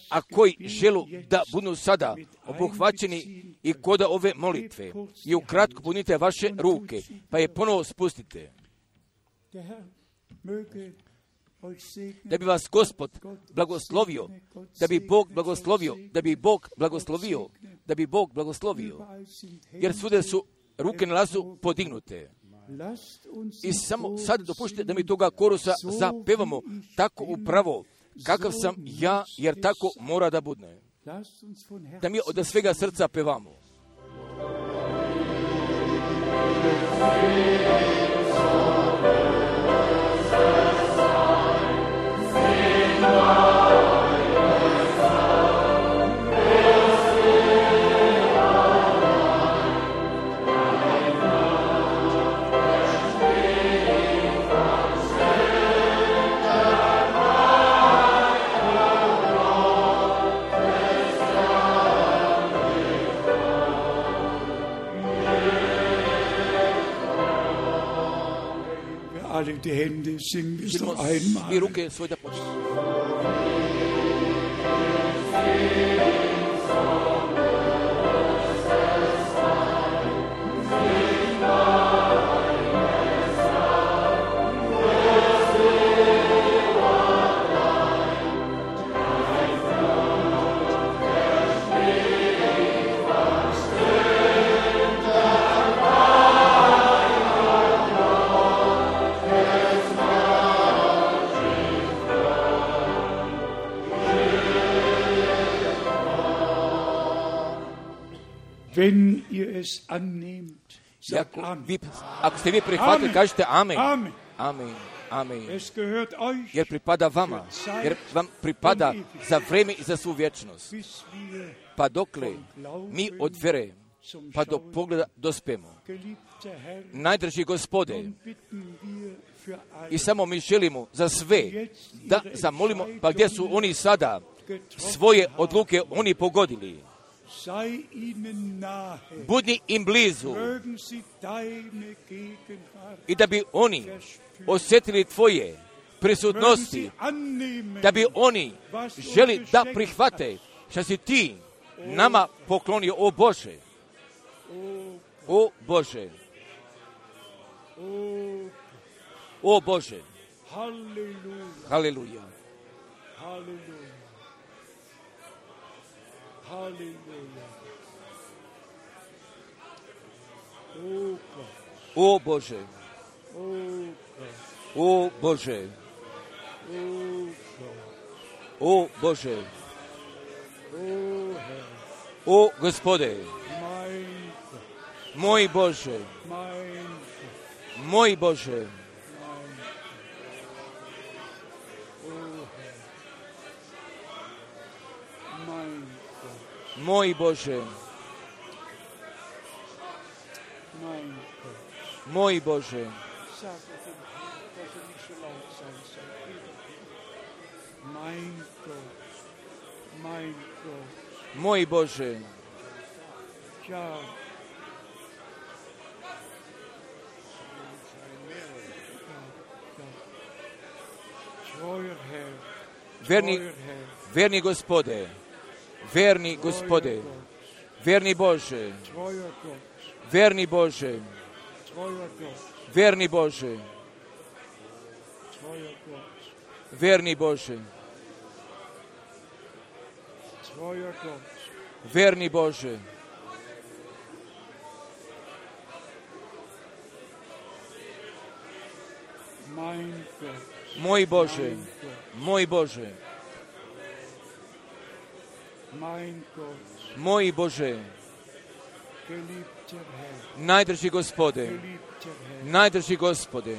a koji želu da budu sada obuhvaćeni i kod ove molitve, i ukratko punite vaše ruke, pa je ponovo spustite. Da bi vas Gospod blagoslovio, da bi Bog blagoslovio, da bi Bog blagoslovio, da bi Bog blagoslovio, jer svuda su ruke na lazu podignute. I samo sad dopuštite da mi toga korusa zapevamo tako upravo kakav sam ja, jer tako mora da bude. Da mi od svega srca pevamo. Alle die Hände singen wir es noch einmal. Die ruke svoje da počnemo. Wenn ihr es annehmt, sagt Ako, Amen. vi, ako ste vi prihvatili, Amen. kažete amen. Amen. Amen. Amen. Es gehört euch, Jer pripada vama, jer vam pripada za vreme i za svu vječnost. bis wir Pa dokle mi od vere zum pa do Schauen, pogleda dospemo. geliebter Herr, Najdrži Gospode, nun bitten wir für alle, i samo mi želimo za sve da zamolimo, pa gdje su oni sada svoje odluke oni pogodili. sei ihnen nahe, Budi im blizu mögen sie deine Gegenwart, i da bi oni osjetili tvoje mögen prisutnosti, sie annehmen, da bi oni želi da prihvate što si ti nama poklonio, o Bože, o Bože, oh, o Bože, Halleluja, haleluja, Halleluja, Halleluja, oh Gott, o Bože, oh Gott, o Bože, oh Gott, o Bože, oh Herr, o Gospode, mein Gott, moj Bože, mein Gott, moj Bože, mein Gott, moj Bože, mein Gott. moj Bože, Sag es dem Herrn, dass er nicht so laut sein soll. Mein Gott, mein Gott, moj Bože, ja. Treuer Herr, verni, treuer Herr, verni Gospode, verni Gospode, verni Bože, treuer Gott, verni Bože, treuer Gott, verni Bože, treuer Gott, verni Bože, Verni Bože, moj Bože, moj Bože, moj Bože, najdrži Gospode, najdrži Gospode,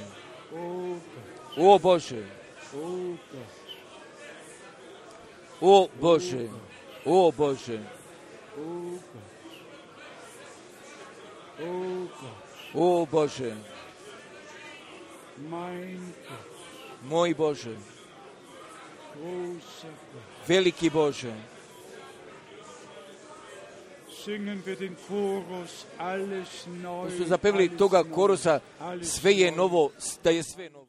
o Bože, o Bože, o Bože, o Bože, moj Bože, veliki Bože. To su zapevili toga korusa, sve je novo, da je sve novo.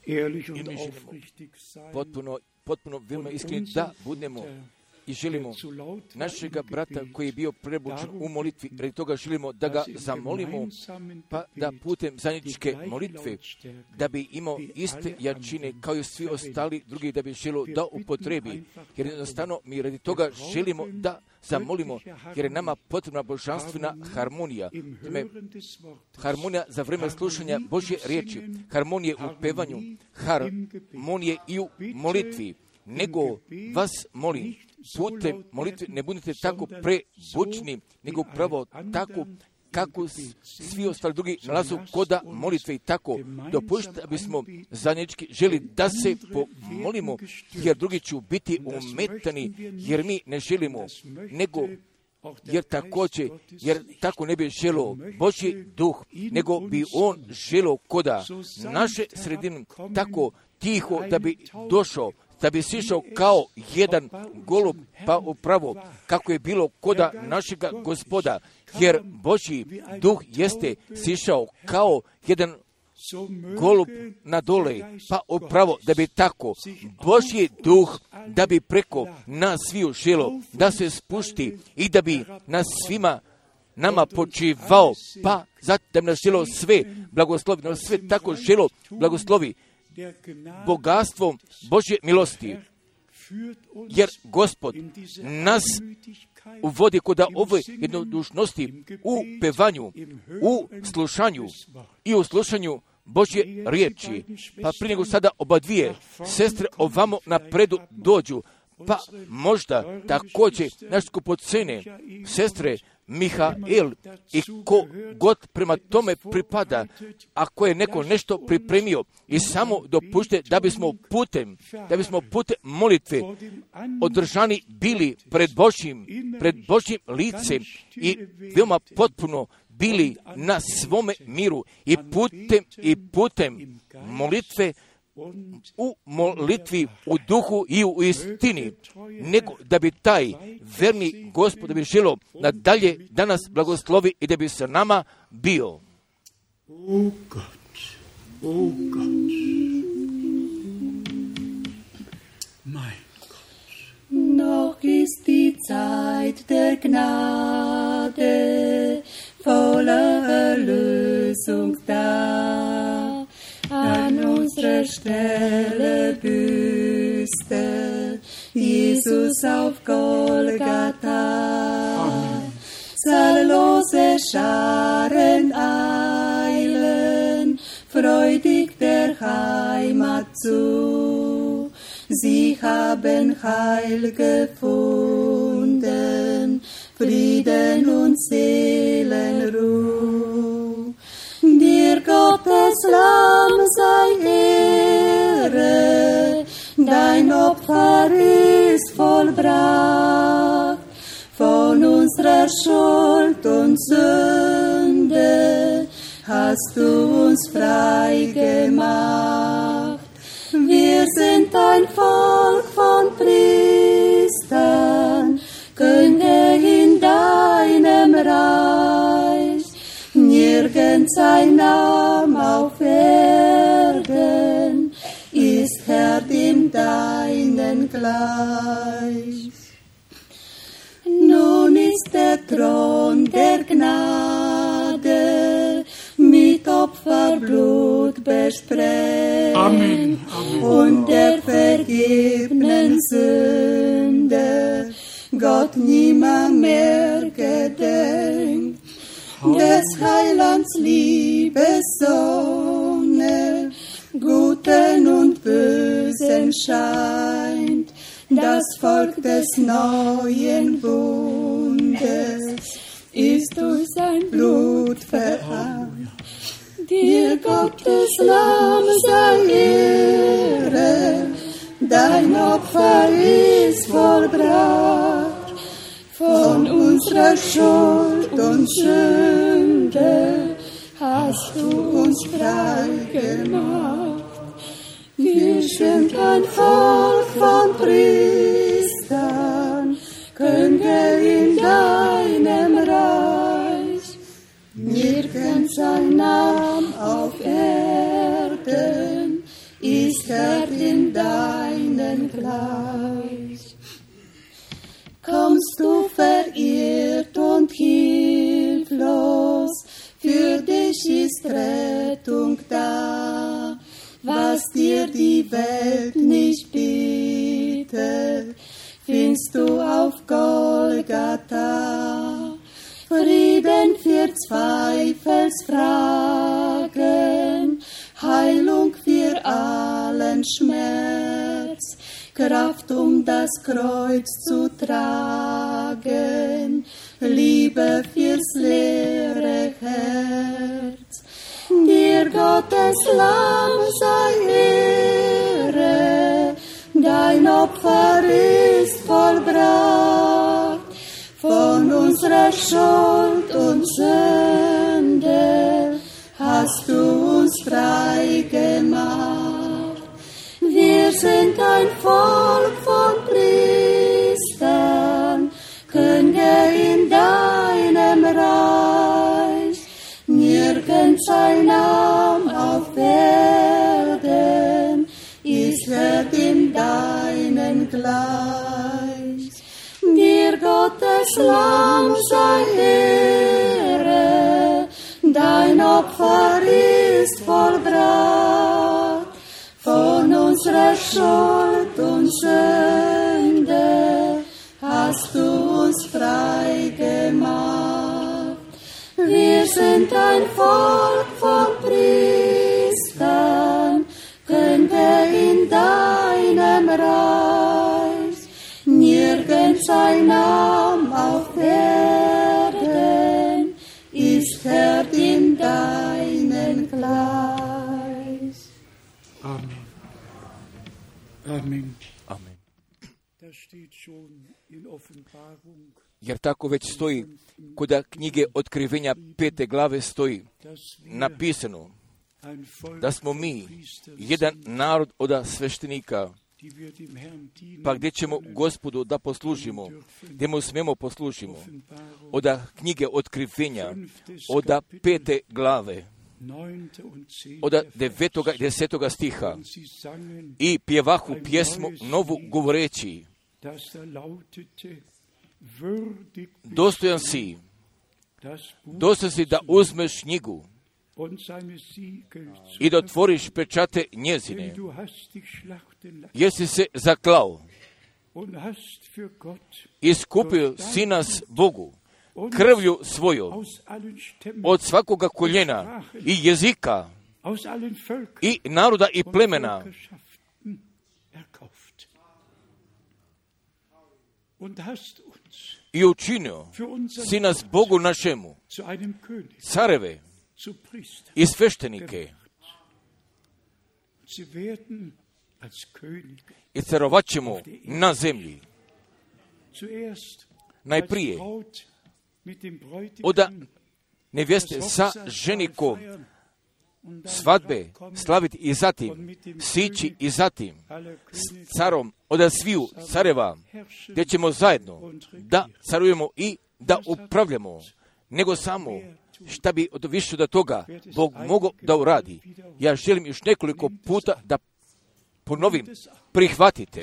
I mi želimo potpuno, potpuno veoma iskreni da budemo i želimo našega brata koji je bio prebučen u molitvi, radi toga želimo da ga zamolimo, pa da putem zajedničke molitve, da bi imao iste jačine kao i svi ostali drugi, da bi želio da upotrebi, jer jednostavno mi radi toga želimo da zamolimo, jer je nama potrebna božanstvena harmonija. Tome, harmonija za vreme slušanja Božje riječi, harmonije u pevanju, harmonije i u molitvi. Nego vas molim, putem molitve ne budite tako prebučni, nego upravo tako kako svi ostali drugi nalazu koda molitve i tako dopušta da bismo zajednički želi da se pomolimo, jer drugi će biti umetani, jer mi ne želimo, nego jer također, jer tako ne bi želio Božji duh, nego bi on želio koda naše sredine tako tiho da bi došao, da bi sišao kao jedan golub, pa upravo kako je bilo koda našega Gospoda, jer Božji duh jeste sišao kao jedan golub na dole, pa upravo da bi tako Božji duh, da bi preko nas sviju želo, da se spušti i da bi nas svima nama počivao, pa zato da bi nas želo sve blagoslovi, nas sve tako želo blagoslovi bogatstvom Božje milosti, jer Gospod nas uvodi kod ove jednodušnosti u pevanju, u slušanju i u slušanju Božje riječi. Pa prije nego sada oba dvije sestre ovamo napredu dođu, pa možda također naš skupocene sestre Mihael i ko god prema tome pripada, ako je neko nešto pripremio i samo dopušte da bismo putem, da bismo putem molitve održani bili pred Božjim, pred Božjim licem i veoma potpuno bili na svome miru i putem i putem molitve u molitvi, u duhu i u istini, nego da bi taj verni Gospod, da bi želo nadalje da nas blagoslovi i da bi sa nama bio. O Gott, o Gott, mein Gott. Noch ist die Zeit der Gnade, voller Erlösung da. An unserer Stelle büßte Jesus auf Golgatha. Zahllose Scharen eilen freudig der Heimat zu. Sie haben Heil gefunden, Frieden und Seelenruhe. Dir Gottes Lamm sei Ehre, dein Opfer ist vollbracht. Von unserer Schuld und Sünde hast du uns frei gemacht. Wir sind ein Volk von Priestern, Könige in deinem Reich. Nirgends ein Name auf Erden ist Herr dem deinen gleich. Nun ist der Thron der Gnade mit Opferblut besprengt. Amen. Amen. Und der vergebenen Sünde Gott nimmer mehr gedenkt. Des Heilands Liebessonne Guten und Bösen scheint, das Volk des neuen Bundes ist durch sein Blut vereint. Dir Gottes Lamm sei Ehre, dein Opfer ist vollbracht. Von unserer Schuld und Sünde hast du uns frei gemacht. Wir sind ein Volk von Priestern, Könige in deinem Reich. Nirgends ein Name auf Erden ist Herr in deinen gleich. Kommst du verirrt und hilflos, für dich ist Rettung da. Was dir die Welt nicht bietet, findest du auf Golgatha. Frieden für Zweifelsfragen, Heilung für allen Schmerz, Kraft, um das Kreuz zu tragen, Liebe fürs leere Herz. Dir Gottes Lamm sei Ehre, dein Opfer ist vollbracht. Von unserer Schuld und Sünde hast du uns frei gemacht. Wir sind ein Volk von Priestern, Könige in deinem Reich. Nirgends ein Name auf Erden ist Herr dem deinen gleich. Dir Gottes Lamm sei Ehre, dein Opfer ist vollbracht. Von unserer Schuld und Sünde hast du uns frei gemacht. Wir sind ein Volk von Priestern, Könige in deinem Reich. Nirgends ein Name auf Erden ist Herr dem deinen gleich. Amen. Amen. Amen. Das steht schon in Offenbarung. Jer tako već stoji, kod knjige Otkrivenja pete glave stoji napisano da smo mi jedan narod od sveštenika, pa gdje ćemo Gospodu da poslužimo, gdje mu smemo poslužimo. Od knjige Otkrivenja, od pete glave, od devetoga i desetoga stiha, i pjevahu pjesmu novu govoreći: dostojan si, dostojan si da uzmeš knjigu i da otvoriš pečate njezine, jer si se zaklao i skupio si nas Bogu krvlju svojom od svakoga koljena i jezika i naroda i plemena, i učinio si nas Bogu našemu careve zu Priestern. i sveštenike Sie werden als König i carovat ćemo na zemlji. zuerst Najprije als Braut mit dem oda Bräutigam nevjeste sa ženikom svadbe slaviti i zatim sići i zatim s carom oda sviju careva, gdje ćemo zajedno da carujemo i da upravljamo, nego samo šta bi od više do toga Bog mogao da uradi. Ja želim još nekoliko puta da ponovim, prihvatite,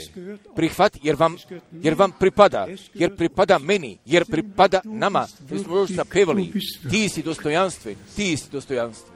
prihvati jer vam, jer vam pripada, jer pripada meni, jer pripada nama. Mi smo još zapevali, ti si dostojanstve, ti si dostojanstve.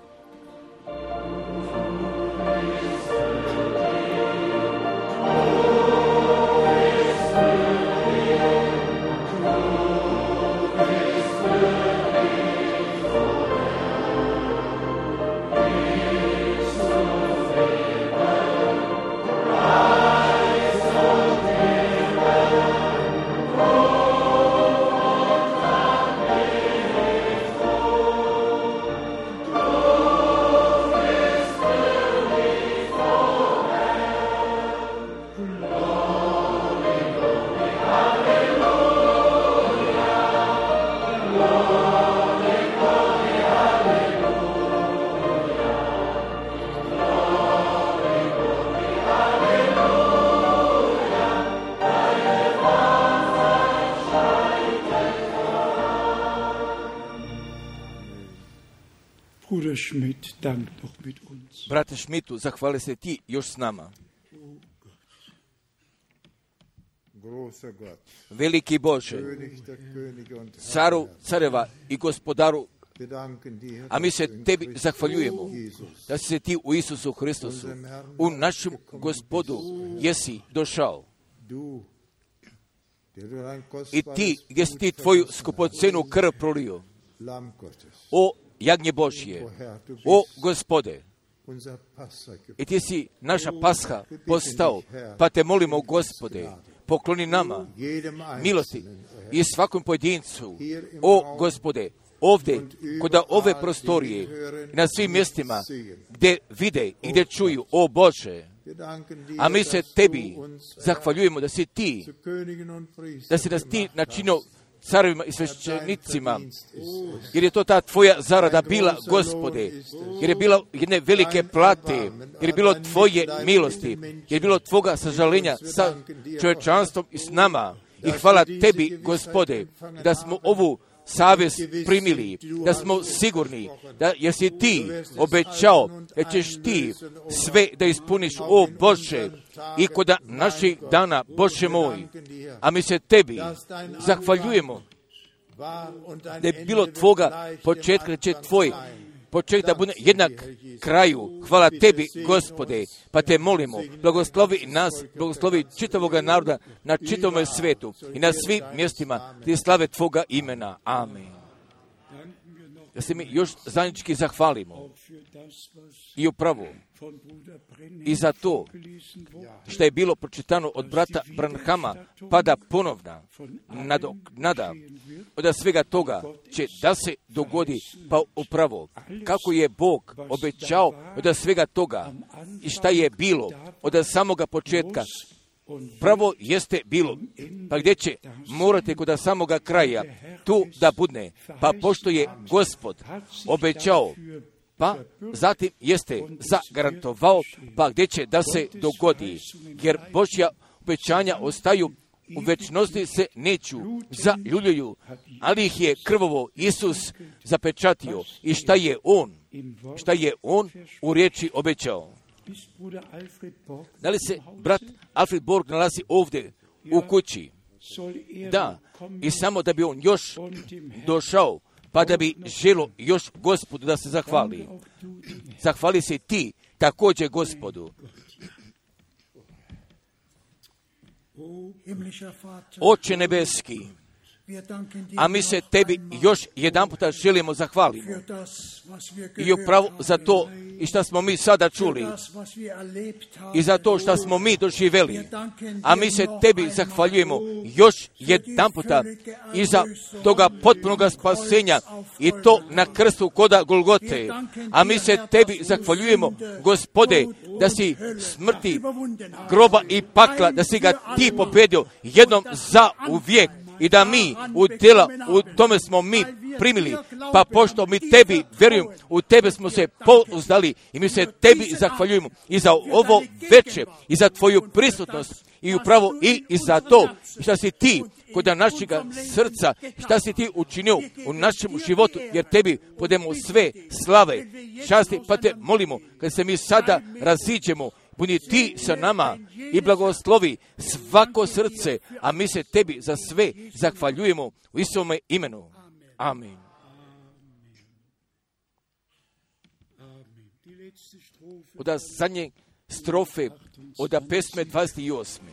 Bruder Schmidt, dank noch mit uns. Brate Schmidtu, zahvali se ti još s nama. Veliki Bože, caru careva i gospodaru, a mi se tebi zahvaljujemo da si se ti u Isusu Hristosu, u našem Gospodu, jesi došao. I ti, gdje si ti tvoju skupocenu krv prolio, o jagnje Božje, o Gospode, i ti si naša pasha postao, pa te molimo, Gospode, pokloni nama milosti i svakom pojedincu, o Gospode, ovdje, kod ove prostorije, na svim mjestima gdje vide i gdje čuju, o Bože, a mi se tebi zahvaljujemo da si ti, da si nas ti načinio carovima i svešćenicima, jer je to ta tvoja zarada bila, Gospode, jer je bilo jedne velike plate, jer je bilo tvoje milosti, jer je bilo tvoga sažalenja sa čovječanstvom i s nama. I hvala tebi, Gospode, da smo ovu savjest primili, da smo sigurni, da jer si ti obećao da ćeš ti sve da ispuniš, o Bože, i kod naših dana, Bože moj, a mi se tebi zahvaljujemo da je bilo tvoga početka, da će tvoj početak da bude jednak kraju. Hvala tebi, Gospode, pa te molimo, blagoslovi nas, blagoslovi čitavoga naroda na čitavom svetu i na svim mjestima gdje slave tvoga imena. Amen. Da se mi još zajednički zahvalimo i upravo i za to što je bilo pročitano od brata Branhama, pada ponovna nadoknada od svega toga će da se dogodi, pa upravo kako je Bog obećao od svega toga i šta je bilo od samoga početka, pravo jeste bilo, pa gdje će morate kod samoga kraja tu da budne, pa pošto je Gospod obećao, pa zatim jeste zagarantovao, pa gdje će da se dogodi, jer Božja obećanja ostaju u večnosti, se neću zaljuljuju, ali ih je krvovo Isus zapečatio i šta je On, šta je On u riječi obećao. Da li se brat Alfred Borg nalazi ovdje u kući? Da, i samo da bi on još došao, pa da bi želo još Gospodu da se zahvali. Zahvali se ti također Gospodu. Oče nebeski, A mi se tebi još jedan puta želimo zahvaliti. I upravo za to i što smo mi sada čuli i za to što smo mi doživjeli. A mi se tebi zahvaljujemo još jedan puta i za toga potpunog spasenja i to na krstu koda Golgote. A mi se tebi zahvaljujemo, Gospode, da si smrti, groba i pakla, da si ga ti pobedio jednom za uvijek. I da mi u djela, u tome smo mi primili, pa pošto mi tebi vjerujemo, u tebe smo se pouzdali i mi se tebi zahvaljujemo i za ovo veče, i za tvoju prisutnost, i upravo i, i za to što si ti kod našega srca, što si ti učinio u našem životu, jer tebi podemo sve slave, časti, pa te molimo, kad se mi sada raziđemo, budi ti sa nama i blagoslovi svako srce, a mi se tebi za sve zahvaljujemo u Isovome imenu. Amen. Od zadnje strofe, od pesme dvadeset osme.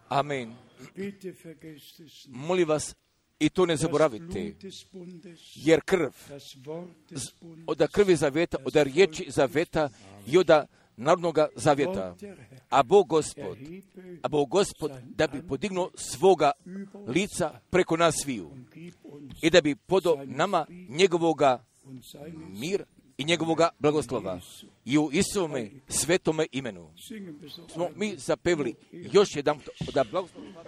Amen. Molim vas, i to ne zaboravite, jer krv, od krvi zavjeta, od riječi zavjeta i od narodnoga zavjeta, a Bog Gospod, a Bog Gospod da bi podignuo svoga lica preko nas sviju i da bi podo nama njegovoga mir i njegovoga blagoslova. I u Isovome svetome imenu smo mi zapevili još jedan da blagoslova.